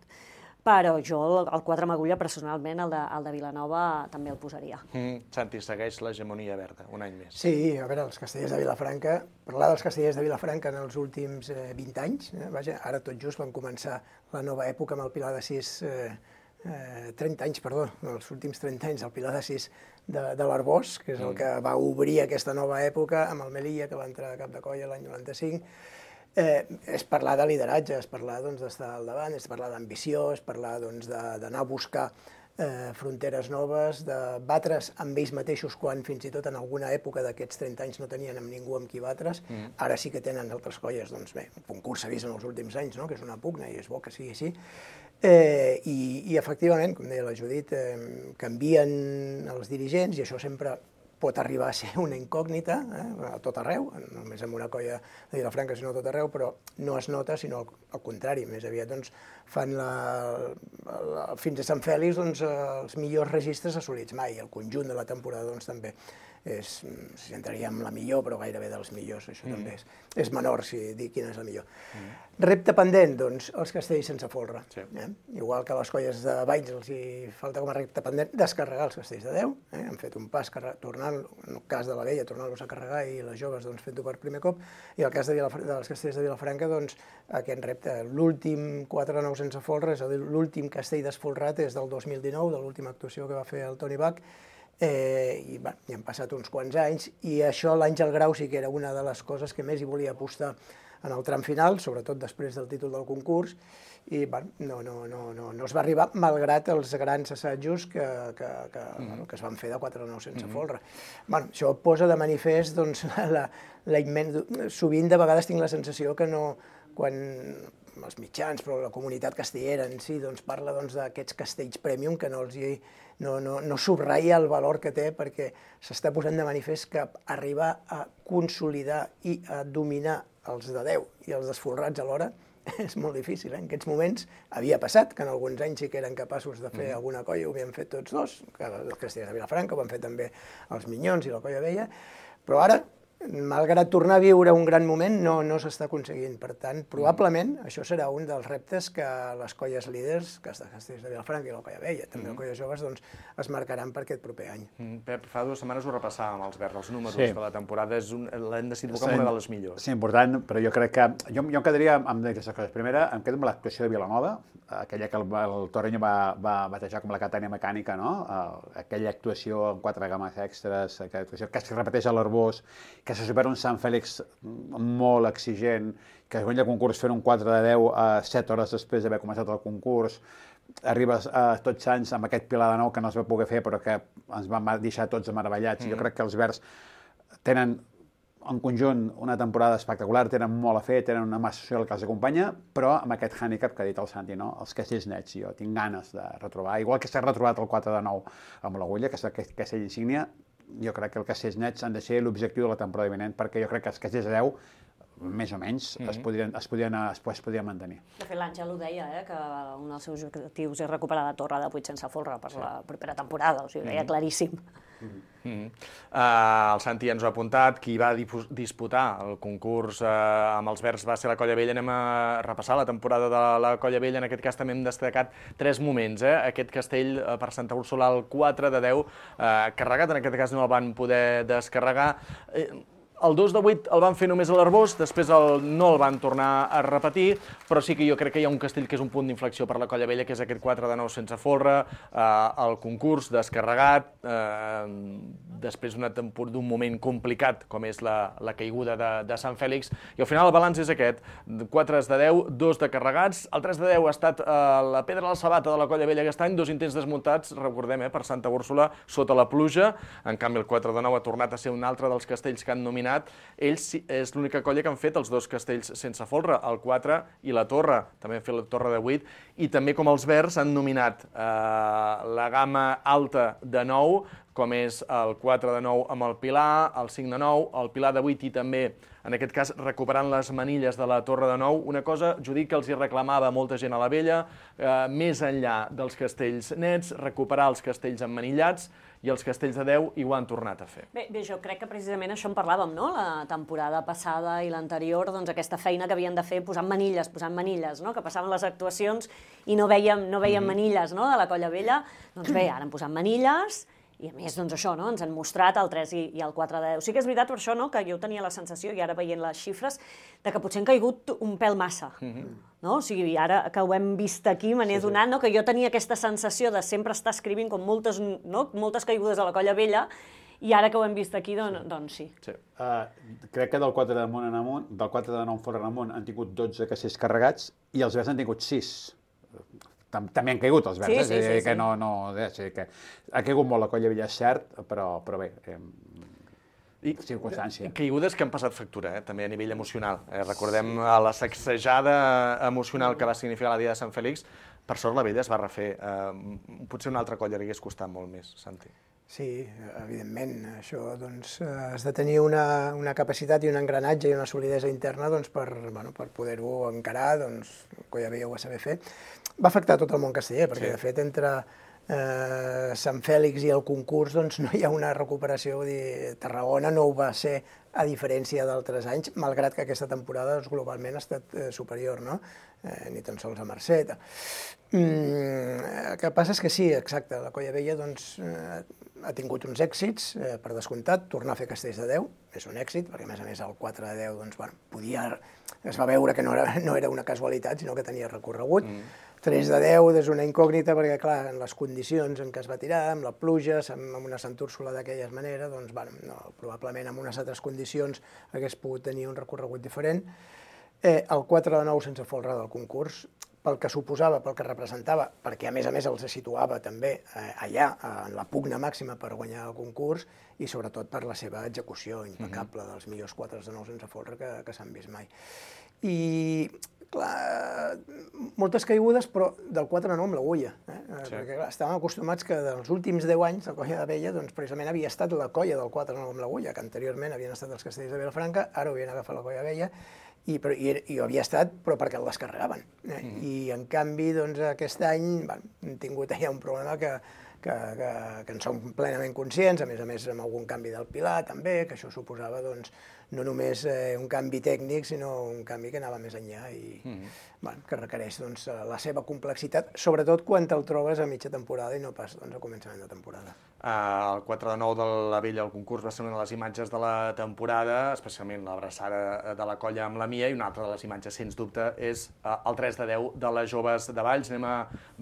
Speaker 13: però jo el quatre amb agulla, personalment, el de, el de Vilanova, també el posaria.
Speaker 12: Mm, Santi, segueix l'hegemonia verda, un any més.
Speaker 14: Sí, a veure, els castellers de Vilafranca, parlar dels castellers de Vilafranca en els últims eh, vint anys, eh, vaja, ara tot just van començar la nova època amb el Pilar de sis, eh, eh, trenta anys, perdó, els últims trenta anys, el Pilar de sis de, de l'Arbós, que és el que va obrir aquesta nova època, amb el Melilla, que va entrar a cap de colla l'any noranta-cinc. Eh, és parlar de lideratge, és parlar doncs, d'estar al davant, és parlar d'ambició, és parlar doncs, d'anar a buscar eh, fronteres noves, de batre's amb ells mateixos quan fins i tot en alguna època d'aquests trenta anys no tenien amb ningú amb qui batre's. Mm. Ara sí que tenen altres colles, doncs bé, un concurs s'ha vist en els últims anys, no?, que és una pugna i és bo que sigui així. Eh, i, I efectivament, com deia la Judit, eh, canvien els dirigents i això sempre pot arribar a ser una incògnita, eh, a tot arreu, no només en una colla de Vilafranca, sinó a tot arreu, però no es nota, sinó al, al contrari, més aviat doncs, fan la, la, fins a Sant Fèlix doncs, els millors registres assolits mai, el conjunt de la temporada doncs, també és, si entraríem la millor, però gairebé dels millors, això mm. també és, és menor si dir quina és la millor. Mm. Repte pendent, doncs, els castells sense folre. Sí. Eh? Igual que a les colles de Valls els hi falta com a repte pendent descarregar els castells de deu. Eh? Han fet un pas tornant, en el cas de la vella, tornar-los a carregar i les joves doncs, fent-ho per primer cop. I el cas de Vilaf dels castells de Vilafranca, doncs, aquest repte, l'últim quatre de nou sense folre, és a dir, l'últim castell desfolrat és del dos mil dinou, de l'última actuació que va fer el Toni Bach, eh, i bueno, hi han passat uns quants anys, i això l'Àngel Grau sí que era una de les coses que més hi volia apostar en el tram final, sobretot després del títol del concurs, i bueno, no, no, no, no, no es va arribar, malgrat els grans assajos que, que, que, mm. bueno, que es van fer de quatre de nou sense mm. folre. Bueno, això posa de manifest, doncs, la, la immens... Sovint, de vegades, tinc la sensació que no, quan els mitjans, però la comunitat castellera en si, doncs, parla doncs, d'aquests castells premium, que no els hi, no, no, no subratlla el valor que té, perquè s'està posant de manifest que arribar a consolidar i a dominar els de deu i els desfolrats alhora és molt difícil. Eh? En aquests moments havia passat que en alguns anys sí que eren capaços de fer mm. alguna colla, ho havien fet tots dos, que els castellers de Vilafranca ho van fer també els Minyons i la Colla Vella, però ara, malgrat tornar a viure un gran moment, no, no s'està aconseguint. Per tant, probablement això serà un dels reptes que les colles líders, que els castellers de Vilafranca i la Colla Vella, també mm. les colles joves, doncs, es marcaran per aquest proper any.
Speaker 12: Mm. Pep, fa dues setmanes ho repassàvem els Verds, els números sí. de la temporada, l'hem decidit com una de les millors.
Speaker 1: Sí, important, però jo crec que... Jo, jo em quedaria amb aquestes coses. Primera, em quedo amb l'actuació de Vilanova, aquella que el, el Torreño va, va batejar com la Catània Mecànica, no? Aquella actuació amb quatre games extres, aquella actuació que es repeteix a l'Arbós, que se supera un Sant Fèlix molt exigent, que es guanya el concurs fent un quatre de deu a set hores després d'haver començat el concurs, arribes a Tots Sants amb aquest Pilar de Nou que no es va poder fer però que ens va deixar tots meravellats. Mm. Jo crec que els Verds tenen en conjunt una temporada espectacular, tenen molt a fer, tenen una massa social que els acompanya, però amb aquest hàndicap que ha dit el Santi, no? Els castells nets, jo tinc ganes de retrobar, igual que s'ha retrobat el quatre de nou amb l'Agulla, que és aquest castell insígnia, jo crec que els castells nets han de ser l'objectiu de la temporada vinent, perquè jo crec que els castells de deu, més o menys, mm -hmm. es, podrien, es, podrien, es, es podrien mantenir.
Speaker 13: De fet, l'Àngel ho deia, eh, que un dels seus objectius és recuperar la torre de vuit sense folre per sí. la propera temporada, o sigui, ho deia mm -hmm. claríssim.
Speaker 12: Mm -hmm. uh, el Santi ens ho ha apuntat, qui va disputar el concurs uh, amb els Verds va ser la Colla Vella. Anem a repassar la temporada de la Colla Vella. En aquest cas també hem destacat tres moments. Eh? Aquest castell uh, per Santa Úrsula, el quatre de deu, uh, carregat, en aquest cas no el van poder descarregar. Uh, El dos de vuit el van fer només a l'Arbós, després el, no el van tornar a repetir, però sí que jo crec que hi ha un castell que és un punt d'inflexió per la Colla Vella, que és aquest quatre de nou sense folre, eh, el concurs descarregat, eh, després d'un moment complicat, com és la, la caiguda de, de Sant Fèlix, i al final el balanç és aquest, quatre de deu, dos de carregats, el tres de deu ha estat eh, la pedra a la sabata de la Colla Vella aquest any, dos intents desmuntats, recordem, eh, per Santa Úrsula, sota la pluja, en canvi el quatre de nou ha tornat a ser un altre dels castells que han nominat. Ells és l'única colla que han fet els dos castells sense folre, el quatre i la torre, també han fet la torre de vuit, i també com els Verds han nominat eh, la gamma alta de nou, com és el quatre de nou amb el Pilar, el cinc de nou, el Pilar de vuit i també, en aquest cas, recuperant les manilles de la torre de nou, una cosa, Judit, que els hi reclamava molta gent a la Vella, eh, més enllà dels castells nets, recuperar els castells emmanillats, i els castells de deu i ho han tornat a fer.
Speaker 13: Bé, bé, jo crec que precisament això en parlàvem, no?, la temporada passada i l'anterior, doncs aquesta feina que havien de fer posant manilles, posant manilles, no?, que passaven les actuacions i no veiem, no veiem mm-hmm. manilles, no?, de la Colla Vella. Doncs bé, ara han posat manilles, i a més, doncs això, no?, ens han mostrat el tres i, i el quatre de deu. Sí que és veritat per això, no?, que jo tenia la sensació, i ara veient les xifres, de que potser han caigut un pèl massa. Mm-hmm. No? O sigui, ara que ho hem vist aquí, me n'he sí, donat, sí. no? que jo tenia aquesta sensació de sempre estar escrivint com moltes, no? moltes caigudes a la Colla Vella, i ara que ho hem vist aquí, doncs sí. Doncs, sí.
Speaker 1: sí. Uh, crec que del quatre de nou en amunt, del quatre de nou en fora en amunt, han tingut dotze castells carregats i els Verds han tingut sis. També han caigut els Verds, sí, sí, sí, sí. que no, no, eh, sí, que ha caigut molt la Colla Vella, és cert, però, però bé, eh,
Speaker 12: I circumstància. Caigudes que han passat factura, eh, també a nivell emocional. Eh, recordem sí. la sacsejada emocional que va significar la dia de Sant Fèlix. Per sort la Vella es va refer. Eh, potser una altra colla li hagués costat molt més, Santi.
Speaker 14: Sí, evidentment. Això doncs, has de tenir una, una capacitat i un engranatge i una solidesa interna doncs, per, bueno, per poder-ho encarar, doncs, Colla Vella ho va saber fer. Va afectar tot el món casteller, perquè sí. de fet entre eh, Sant Fèlix i el concurs doncs, no hi ha una recuperació. Vull dir, Tarragona no ho va ser, a diferència d'altres anys, malgrat que aquesta temporada doncs, globalment ha estat eh, superior, no? Eh, ni tan sols a Mercè. Mm, el que passa és que sí, exacte, la Colla Vella doncs, eh, ha tingut uns èxits, eh, per descomptat, tornar a fer Castells de deu és un èxit, perquè a més a més el quatre de deu doncs, bueno, podia, es va veure que no era, no era una casualitat, sinó que tenia recorregut. Mm. tres de deu és una incògnita perquè, clar, en les condicions en què es va tirar, amb la pluja, amb una Sant Úrsula d'aquella manera, doncs, bueno, no, probablement en unes altres condicions hagués pogut tenir un recorregut diferent. Eh, el quatre de nou sense folre del concurs, pel que suposava, pel que representava, perquè a més a més els situava també eh, allà, en la pugna màxima per guanyar el concurs, i sobretot per la seva execució impecable, mm-hmm. dels millors quatre de nou sense folre que, que s'han vist mai. I, clar, moltes caigudes, però del quatre de nou amb l'agulla, eh? Sí. Perquè clar, estàvem acostumats que dels últims deu anys la Colla de Vella doncs, precisament havia estat la colla del quatre de nou amb l'agulla, que anteriorment havien estat els Castells de Vilafranca, ara ho havien agafat la Colla de Vella, i, però, i, i ho havia estat però perquè el descarregaven. Eh? Mm. I en canvi doncs, aquest any bueno, hem tingut allà un problema que, que, que, que en som plenament conscients, a més a més amb algun canvi del pilar també, que això suposava doncs, no només eh, un canvi tècnic, sinó un canvi que anava més enllà i mm. bueno, que requereix doncs, la seva complexitat, sobretot quan te'l trobes a mitja temporada i no pas doncs, a començament de temporada.
Speaker 12: Uh, el quatre de nou de la Vella, el concurs, va ser una de les imatges de la temporada, especialment l'abraçada de la colla amb la Mia, i una altra de les imatges, sens dubte, és uh, el tres de deu de les joves de Valls. Anem a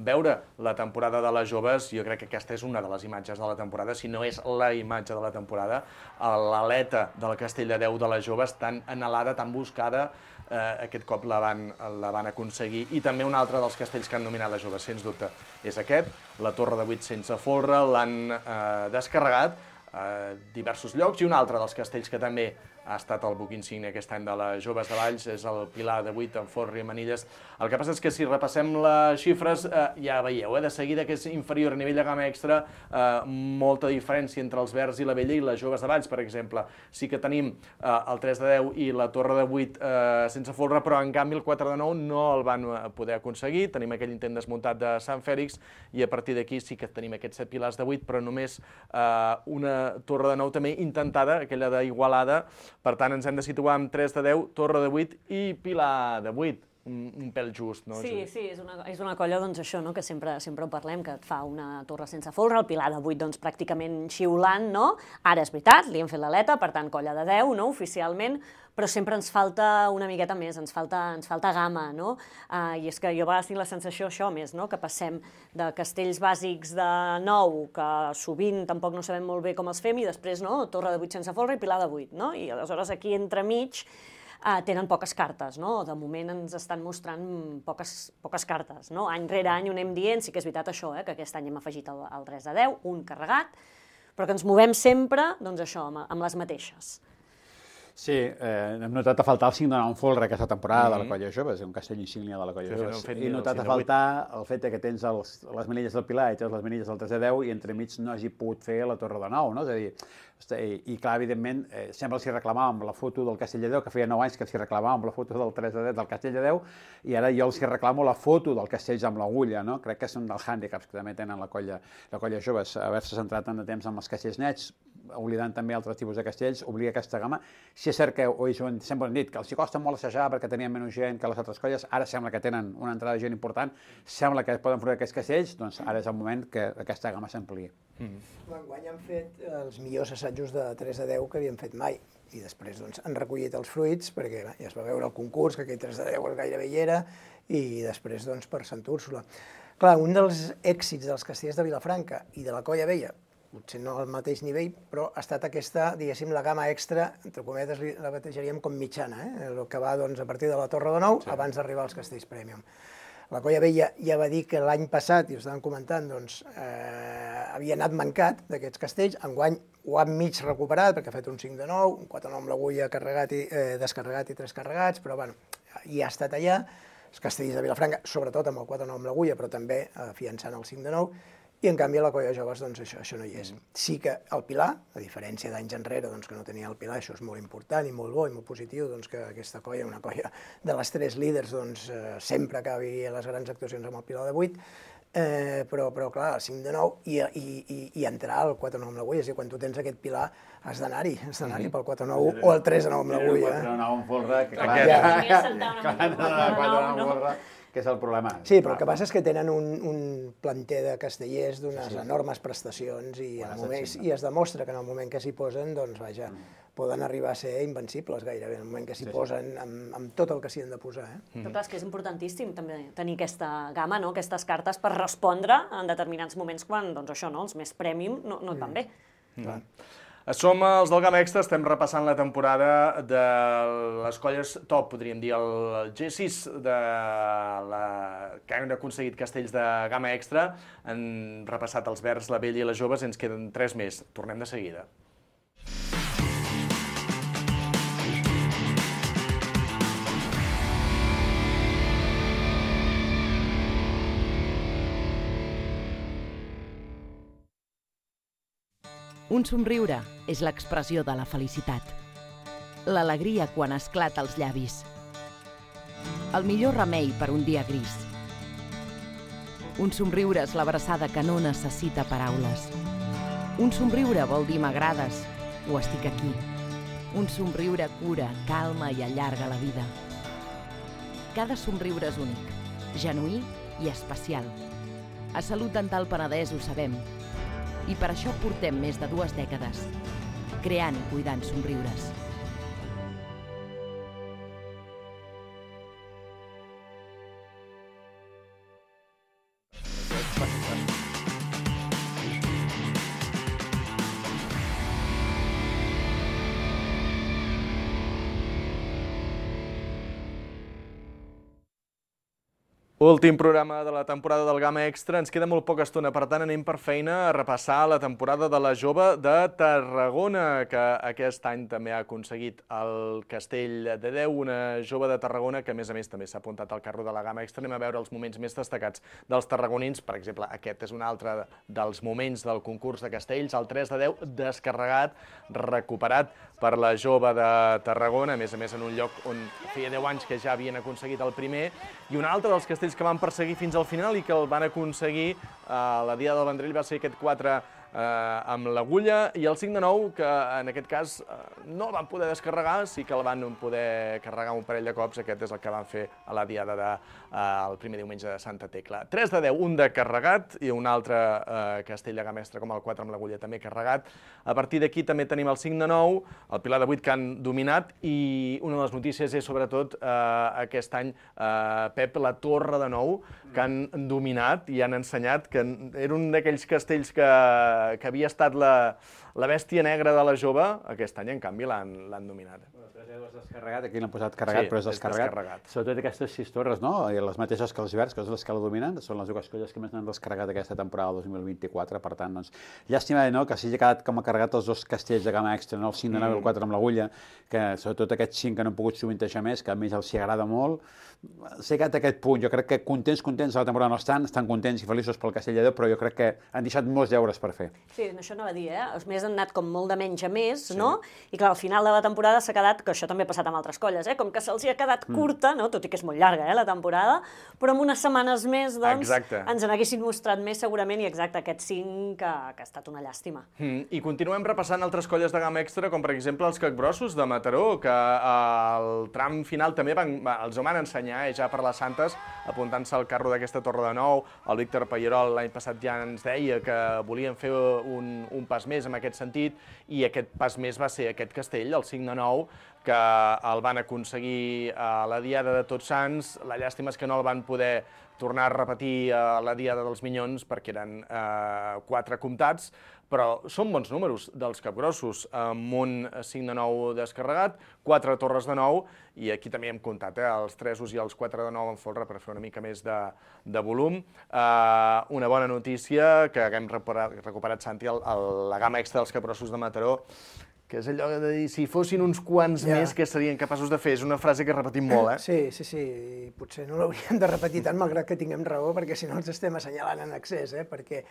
Speaker 12: veure la temporada de les joves. Jo crec que aquesta és una de les imatges de la temporada, si no és la imatge de la temporada. L'aleta del Castell de Deu de les joves, tan anhelada, tan buscada, eh, aquest cop la van, la van aconseguir. I també un altre dels castells que han dominat les joves, sens dubte, és aquest, la Torre de Vuit sense folre, l'han eh, descarregat a diversos llocs, i un altre dels castells que també ha estat el buc insigne aquest any de les joves de Valls és el Pilar de Vuit amb folre i manilles. El que passa és que si repassem les xifres, eh, ja veieu, eh, de seguida que és inferior a nivell de gamma extra, eh, molta diferència entre els Verds i la Vella i les joves de Valls, per exemple. Sí que tenim eh, el tres de deu i la Torre de Vuit eh, sense folre, però en canvi el quatre de nou no el van poder aconseguir. Tenim aquell intent desmuntat de Sant Fèlix i a partir d'aquí sí que tenim aquests set pilars de Vuit, però només eh, una Torre de nou també intentada, aquella d'Igualada. Per tant, ens hem de situar amb tres de deu, Torre de Vuit i Pilar de Vuit. Un, un pèl just, no?
Speaker 13: Sí, sí, és una, és una colla, doncs, això, no?, que sempre, sempre ho parlem, que et fa una torre sense folre, el Pilar de Vuit, doncs, pràcticament xiulant, no? Ara és veritat, li hem fet l'aleta, per tant, colla de deu, no?, oficialment, però sempre ens falta una miqueta més, ens falta, ens falta gamma, no? Uh, I és que jo a vegades tinc la sensació, això més, no?, que passem de castells bàsics de nou, que sovint tampoc no sabem molt bé com els fem, i després, no?, Torre de Vuit sense folre i Pilar de Vuit, no? I aleshores aquí entremig Uh, tenen poques cartes, no? De moment ens estan mostrant poques, poques cartes, no? Any rere any ho anem dient, sí que és veritat això, eh? Que aquest any hem afegit el, el tres de deu, un carregat, però que ens movem sempre, doncs això, amb, amb les mateixes.
Speaker 1: Sí, eh, hem notat a faltar el cinc de nou en folre aquesta temporada mm-hmm. de la colla jove, és un castell insígnia de la colla jove. Sí, he notat a faltar el fet que tens els, les manilles del Pilar i tens les manilles del tres de deu i entremig no hagi pogut fer la Torre de nou, no? És a dir, i, i clar, evidentment, eh, sempre els hi reclamàvem la foto del Castell de Deu, que feia nou anys que els hi reclamàvem la foto del tres de deu del Castell de Deu, i ara jo els hi reclamo la foto del Castells amb l'agulla, no? Crec que és un dels hàndicaps que també tenen la colla, la colla joves, haver-se centrat tant de temps amb els castells nets, oblidant també altres tipus de castells, obliga aquesta gamma. Si és cert que, oi, sempre hem dit que els hi costa molt assajar perquè tenien menys gent que les altres colles, ara sembla que tenen una entrada de gent important, sembla que poden fer aquests castells, doncs ara és el moment que aquesta gamma s'ampliï.
Speaker 14: Mm. L'enguany han fet els millors assajos de tres de deu que havien fet mai, i després doncs, han recollit els fruits, perquè bé, ja es va veure el concurs, que aquell tres de deu gairebé hi era, i després doncs, per Sant Úrsula. Clar, un dels èxits dels castells de Vilafranca i de la Colla Vella, potser no al mateix nivell, però ha estat aquesta, diguéssim, la gamma extra, entre cometes la batejaríem com mitjana, eh? El que va doncs, a partir de la Torre de Nou, sí. Abans d'arribar als castells Premium. La Colla Vella ja va dir que l'any passat, i ho estàvem comentant, doncs, eh, havia anat mancat d'aquests castells, enguany ho han mig recuperat, perquè ha fet un cinc de nou, un quatre de nou amb l'agulla carregat i, eh, descarregat i tres carregats, però bueno, ja ha estat allà. Els castells de Vilafranca, sobretot amb el quatre de nou amb l'agulla, però també afiançant el cinc de nou, i en canvi a la colla joves doncs, això, això no hi és. Sí que el Pilar, a diferència d'anys enrere doncs, que no tenia el Pilar, això és molt important i molt bo i molt positiu, doncs, que aquesta colla, una colla de les tres líders, doncs, eh, sempre acabi les grans actuacions amb el Pilar de Vuit. Eh, però, però, clar, el cinc de nou i, i, i, i entrar al quatre nou amb l'agulla. És a dir, quan tu tens aquest pilar, has d'anar-hi, has d'anar-hi pel quatre nou o el tres nou amb l'agulla.
Speaker 1: El quatre nou amb folre, que clar,
Speaker 14: ja.
Speaker 1: que és el problema.
Speaker 14: Sí, però el que passa és que tenen un, un planter de castellers d'unes sí. enormes prestacions i, en el moment, i es demostra que en el moment que s'hi posen, doncs, vaja, mm. poden arribar a ser invencibles gairebé, en el moment que s'hi sí, posen, sí. amb, amb tot el que s'hi han de posar. Eh?
Speaker 13: Mm. Però clar, és que és importantíssim també tenir aquesta gamma, no? Aquestes cartes per respondre en determinats moments quan, doncs això, no? Els més premium no, no et van bé.
Speaker 12: Mm. Mm. Som els del Gamma Extra, estem repassant la temporada de les colles top, podríem dir, el G sis de la... que han aconseguit castells de Gamma Extra. Han repassat els verds, la vella i les joves, ens queden tres més. Tornem de seguida.
Speaker 15: Un somriure és l'expressió de la felicitat. L'alegria quan esclata als llavis. El millor remei per un dia gris. Un somriure és l'abraçada que no necessita paraules. Un somriure vol dir m'agrades o estic aquí. Un somriure cura, calma i allarga la vida. Cada somriure és únic, genuí i especial. A Salut Dental Penedès ho sabem. I per això portem més de dues dècades, creant i cuidant somriures.
Speaker 12: Últim programa de la temporada del Gamma Extra. Ens queda molt poca estona, per tant anem per feina a repassar la temporada de la jove de Tarragona, que aquest any també ha aconseguit el Castell de Déu, una jove de Tarragona que a més a més també s'ha apuntat al carro de la Gamma Extra. Anem a veure els moments més destacats dels tarragonins. Per exemple, aquest és un altre dels moments del concurs de castells, el tres de deu descarregat, recuperat per la jove de Tarragona, a més a més en un lloc on feia deu anys que ja havien aconseguit el primer, i un altre dels castells que van perseguir fins al final i que el van aconseguir a la Diada del Vendrell va ser aquest quatre amb l'agulla, i el cinc de nou, que en aquest cas no el van poder descarregar, sí que el van poder carregar un parell de cops. Aquest és el que van fer a la Diada del primer diumenge de Santa Tecla. tres de deu, un de carregat, i un altre castell de Gamma Extra com el quatre amb l'agulla també carregat. A partir d'aquí també tenim el cinc de nou, el pilar de vuit que han dominat, i una de les notícies és sobretot aquest any, Pep, la torre de nou, que han dominat i han ensenyat que era un d'aquells castells que que havia estat la, la bèstia negra de la jove, aquest any, en canvi, l'han dominat.
Speaker 1: El tres de deu és descarregat, aquí l'han posat carregat, sí, però és descarregat. És descarregat. Sobretot aquestes sis torres, no? I les mateixes que els verds, que són les que la dominen, són les dues colles que més n'han descarregat aquesta temporada dos mil vint-i-quatre, per tant, doncs, llàstima, no?, que s'hagi quedat com a carregat els dos castells de Gamma Extra, no?, el cinc de nou i el quatre amb l'agulla, que sobretot aquests cinc que no han pogut sovintejar més, que a més els hi agrada molt, s'ha quedat aquest punt. Jo crec que contents, contents de la temporada no estan, estan contents i feliços pel Castell de Déu, però jo crec que han deixat molts deures per fer.
Speaker 13: Sí, això anava a dir, eh? Els més han anat com molt de menys a més, no? I clar, al final de la temporada s'ha quedat, que això també ha passat amb altres colles, eh? Com que se'ls ha quedat curta, no? Tot i que és molt llarga, eh, la temporada, però amb unes setmanes més, doncs, ens n'haguessin mostrat més segurament, i exacte, aquest cinc que ha estat una llàstima.
Speaker 12: I continuem repassant altres colles de Gamma Extra, com per exemple els Capgrossos de Mataró, que al tram final també els ho van ensenyar ja per les Santes, apuntant-se al carro d'aquesta torre de nou. El Víctor Pallerol l'any passat ja ens deia que volien fer un, un pas més en aquest sentit, i aquest pas més va ser aquest castell, el cinc de nou, que el van aconseguir a la Diada de Tots Sants. La llàstima és que no el van poder tornar a repetir a la Diada dels Minyons perquè eren eh, quatre comptats, però són bons números dels Capgrossos, amb un cinc de nou descarregat, quatre torres de nou, i aquí també hem comptat eh, els tresos i els quatre de nou en folre per fer una mica més de, de volum. Eh, una bona notícia, que haguem recuperat, recuperat Santi, el, el, la Gamma Extra dels Capgrossos de Mataró, que és allò de dir, si fossin uns quants ja. més que serien capaços de fer. És una frase que repetim molt, eh?
Speaker 14: Sí, sí, sí, i potser no l'hauríem de repetir tant, malgrat que tinguem raó, perquè si no ens estem assenyalant en excés, eh? Perquè,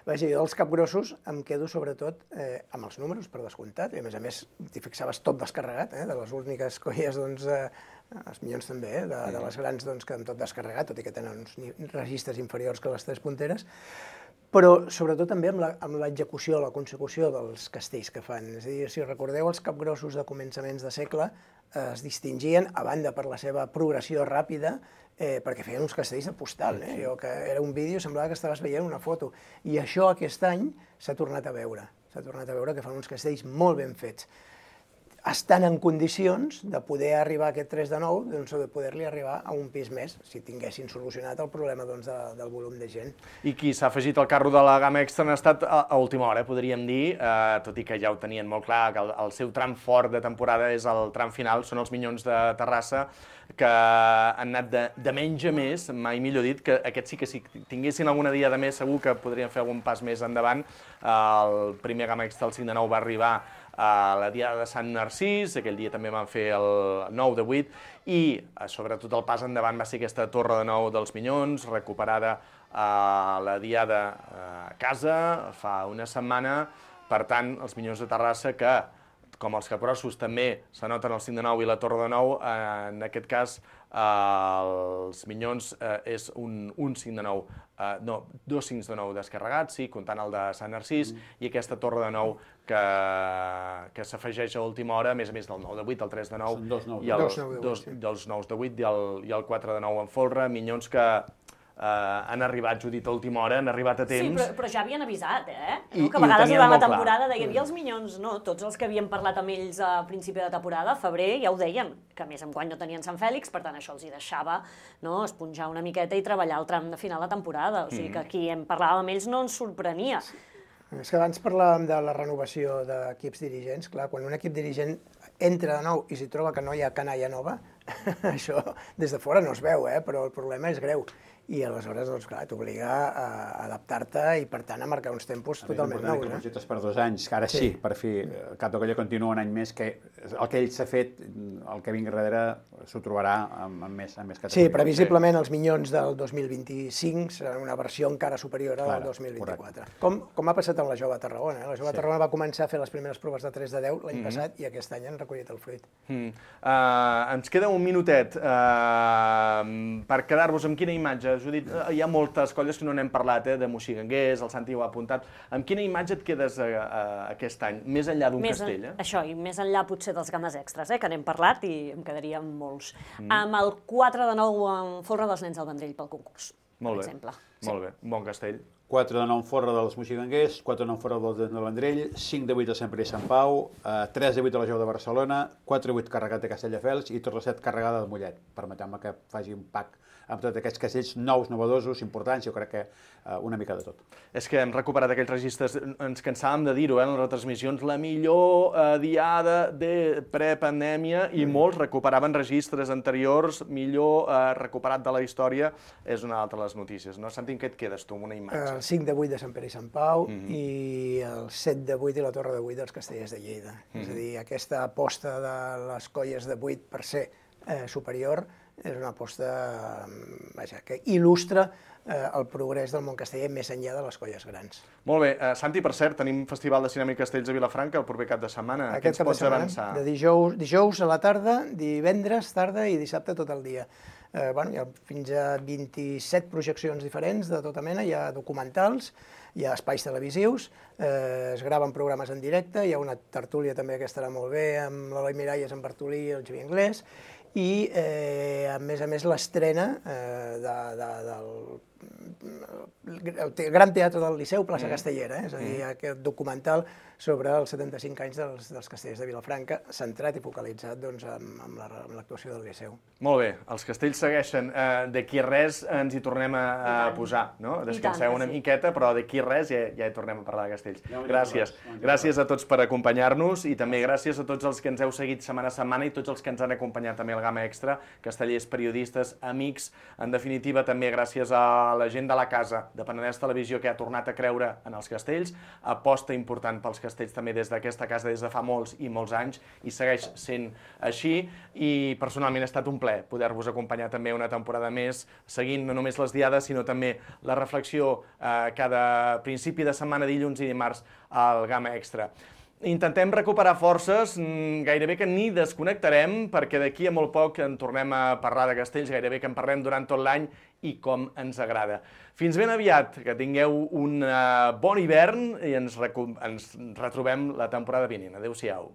Speaker 14: vaja, jo dels Capgrossos em quedo sobretot eh, amb els números, per descomptat, i a més a més t'hi fixaves tot descarregat, eh? De les úniques colles, doncs, eh, els Minyons també, eh? de, de les grans doncs, que han tot descarregat, tot i que tenen uns registres inferiors que les tres punteres, però sobretot també amb l'execució, la consecució dels castells que fan. És a dir, si recordeu, els capgrossos de començaments de segle es distingien, a banda per la seva progressió ràpida, eh, perquè feien uns castells de postal. Eh? Jo, que era un vídeo, semblava que estaves veient una foto. I això aquest any s'ha tornat a veure. S'ha tornat a veure que fan uns castells molt ben fets. Estan en condicions de poder arribar a aquest tres de nou, doncs de poder-li arribar a un pis més, si tinguessin solucionat el problema doncs, de, del volum de gent.
Speaker 12: I qui s'ha afegit al carro de la gamma extra han estat a, a última hora, podríem dir, eh, tot i que ja ho tenien molt clar, que el, el seu tram fort de temporada és el tram final, són els Minyons de Terrassa, que han anat de, de menys a més, mai millor dit, que aquests sí que si tinguessin alguna dia de més segur que podrien fer algun pas més endavant. El primer gamma extra, el cinc de nou, va arribar a la Diada de Sant Narcís, aquell dia també van fer el nou de vuit, i sobretot el pas endavant va ser aquesta Torre de Nou dels Minyons, recuperada a la Diada a casa fa una setmana. Per tant, els Minyons de Terrassa, que com els capgrossos també s'anoten el cinc de nou i la Torre de Nou, en aquest cas els Minyons és un, un cinc de nou, no, dos cincs de nou descarregats, sí, comptant el de Sant Narcís, i aquesta Torre de Nou que, que s'afegeix a última hora, a més a més del nou de vuit, el tres de nou, i els nous de vuit i el quatre de nou en folre. Minyons que han arribat, Judit, a última hora, han arribat a temps.
Speaker 13: Sí, però ja havien avisat, eh? Que a vegades durant la temporada deien, i els Minyons, no, tots els que havien parlat amb ells a principi de temporada, a febrer, ja ho deien, que a més enguany no tenien Sant Fèlix, per tant això els hi deixava esponjar una miqueta i treballar el tram de final de temporada, o sigui que qui en parlàvem amb ells no ens sorprenia.
Speaker 14: És que abans parlàvem de la renovació d'equips dirigents. Clar, quan un equip dirigent entra de nou i s'hi troba que no hi ha canalla nova, això des de fora no es veu, eh? Però el problema és greu. I aleshores, doncs, clar, t'obliga a adaptar-te i, per tant, a marcar uns tempos totalment nous.
Speaker 1: Que projectes per dos anys, que ara sí, per fi, Cap de Colla continua un any més, que el que ell s'ha fet, el que vingui darrere, s'ho trobarà amb més categoria.
Speaker 14: Sí, previsiblement els Minyons del dos mil vint-i-cinc seran una versió encara superior al del dos mil vint-i-quatre. Com ha passat amb la Jove de Tarragona. La Jove de Tarragona va començar a fer les primeres proves de tres de deu l'any passat i aquest any han recollit el fruit.
Speaker 12: Ens queda un minutet per quedar-vos amb quina imatge. Judit, hi ha moltes colles que no n'hem parlat, eh, de Moixiganguers, el Santi ho ha apuntat. Amb quina imatge et quedes a, a, aquest any, més enllà d'un castell? Eh?
Speaker 13: Això, i més enllà potser dels games extras, eh, que n'hem parlat i em quedaria amb molts. Mm. Amb el quatre de nou en folre dels Nens del Vendrell pel concurs,
Speaker 12: molt
Speaker 13: per
Speaker 12: bé.
Speaker 13: exemple.
Speaker 12: Molt bé, un bon castell.
Speaker 1: quatre de nou en folre dels Moixiganguers, quatre de nou en folre dels Nens del Vendrell, cinc de vuit a Sant Pere i Sant Pau, tres de vuit a la Jou de Barcelona, quatre de vuit carregat de Castelldefels i Torre set carregada de Mollet. Permeteu-me que faci un pack amb tots aquests castells nous, novedosos, importants, jo crec que uh, una mica de tot.
Speaker 12: És que hem recuperat aquells registres, ens cansàvem de dir-ho, eh, en les retransmissions, la millor uh, diada de prepandèmia, i mm. molts recuperaven registres anteriors, millor uh, recuperat de la història, és una altra de les notícies, no? Santi, en què et quedes tu amb una imatge?
Speaker 14: El cinc de vuit de Sant Pere i Sant Pau mm -hmm. i el set de vuit i la Torre de vuit dels Castellers de Lleida. Mm -hmm. És a dir, aquesta aposta de les colles de vuit per ser eh, superior és una aposta vaja, que il·lustra eh, el progrés del món casteller més enllà de les colles grans.
Speaker 12: Molt bé. Uh, Santi, per cert, tenim Festival de Cinema i Castells a Vilafranca el proper cap de setmana.
Speaker 14: Aquest cap de setmana, avançar? De dijous, dijous a la tarda, divendres, tarda i dissabte tot el dia. Eh, bueno, hi ha fins a vint-i-set projeccions diferents de tota mena, hi ha documentals, hi ha espais televisius, eh, es graven programes en directe, hi ha una tertúlia també que estarà molt bé, amb l'Eloi Miralles, en Bartolí i el Xavier Anglès, i, eh, a més a més, l'estrena eh, de, de, del el Gran Teatre del Liceu, plaça mm. Castellera, eh? És a dir, mm. aquest documental sobre els setanta-cinc anys dels, dels castellers de Vilafranca, centrat i focalitzat doncs, amb, amb l'actuació del Liceu.
Speaker 12: Molt bé, els castells segueixen. Uh, d'aquí res ens hi tornem a, a posar, no? Descanseu una miqueta, però d'aquí res ja, ja hi tornem a parlar de castells. Gràcies. Gràcies a tots per acompanyar-nos i també gràcies a tots els que ens heu seguit setmana a setmana i tots els que ens han acompanyat també al Gamma Extra, castellers, periodistes, amics, en definitiva també gràcies a la gent de la casa de Penedès Televisió que ha tornat a creure en els castells, aposta important pels castells també des d'aquesta casa des de fa molts i molts anys i segueix sent així, i personalment ha estat un plaer poder-vos acompanyar també una temporada més, seguint no només les diades sinó també la reflexió eh, cada principi de setmana, dilluns i dimarts al Gamma Extra. intentem recuperar forces, gairebé que ni desconnectarem, perquè d'aquí a molt poc en tornem a parlar de castells, gairebé que en parlem durant tot l'any i com ens agrada. Fins ben aviat, que tingueu un bon hivern i ens retrobem la temporada vinent. Adéu-siau.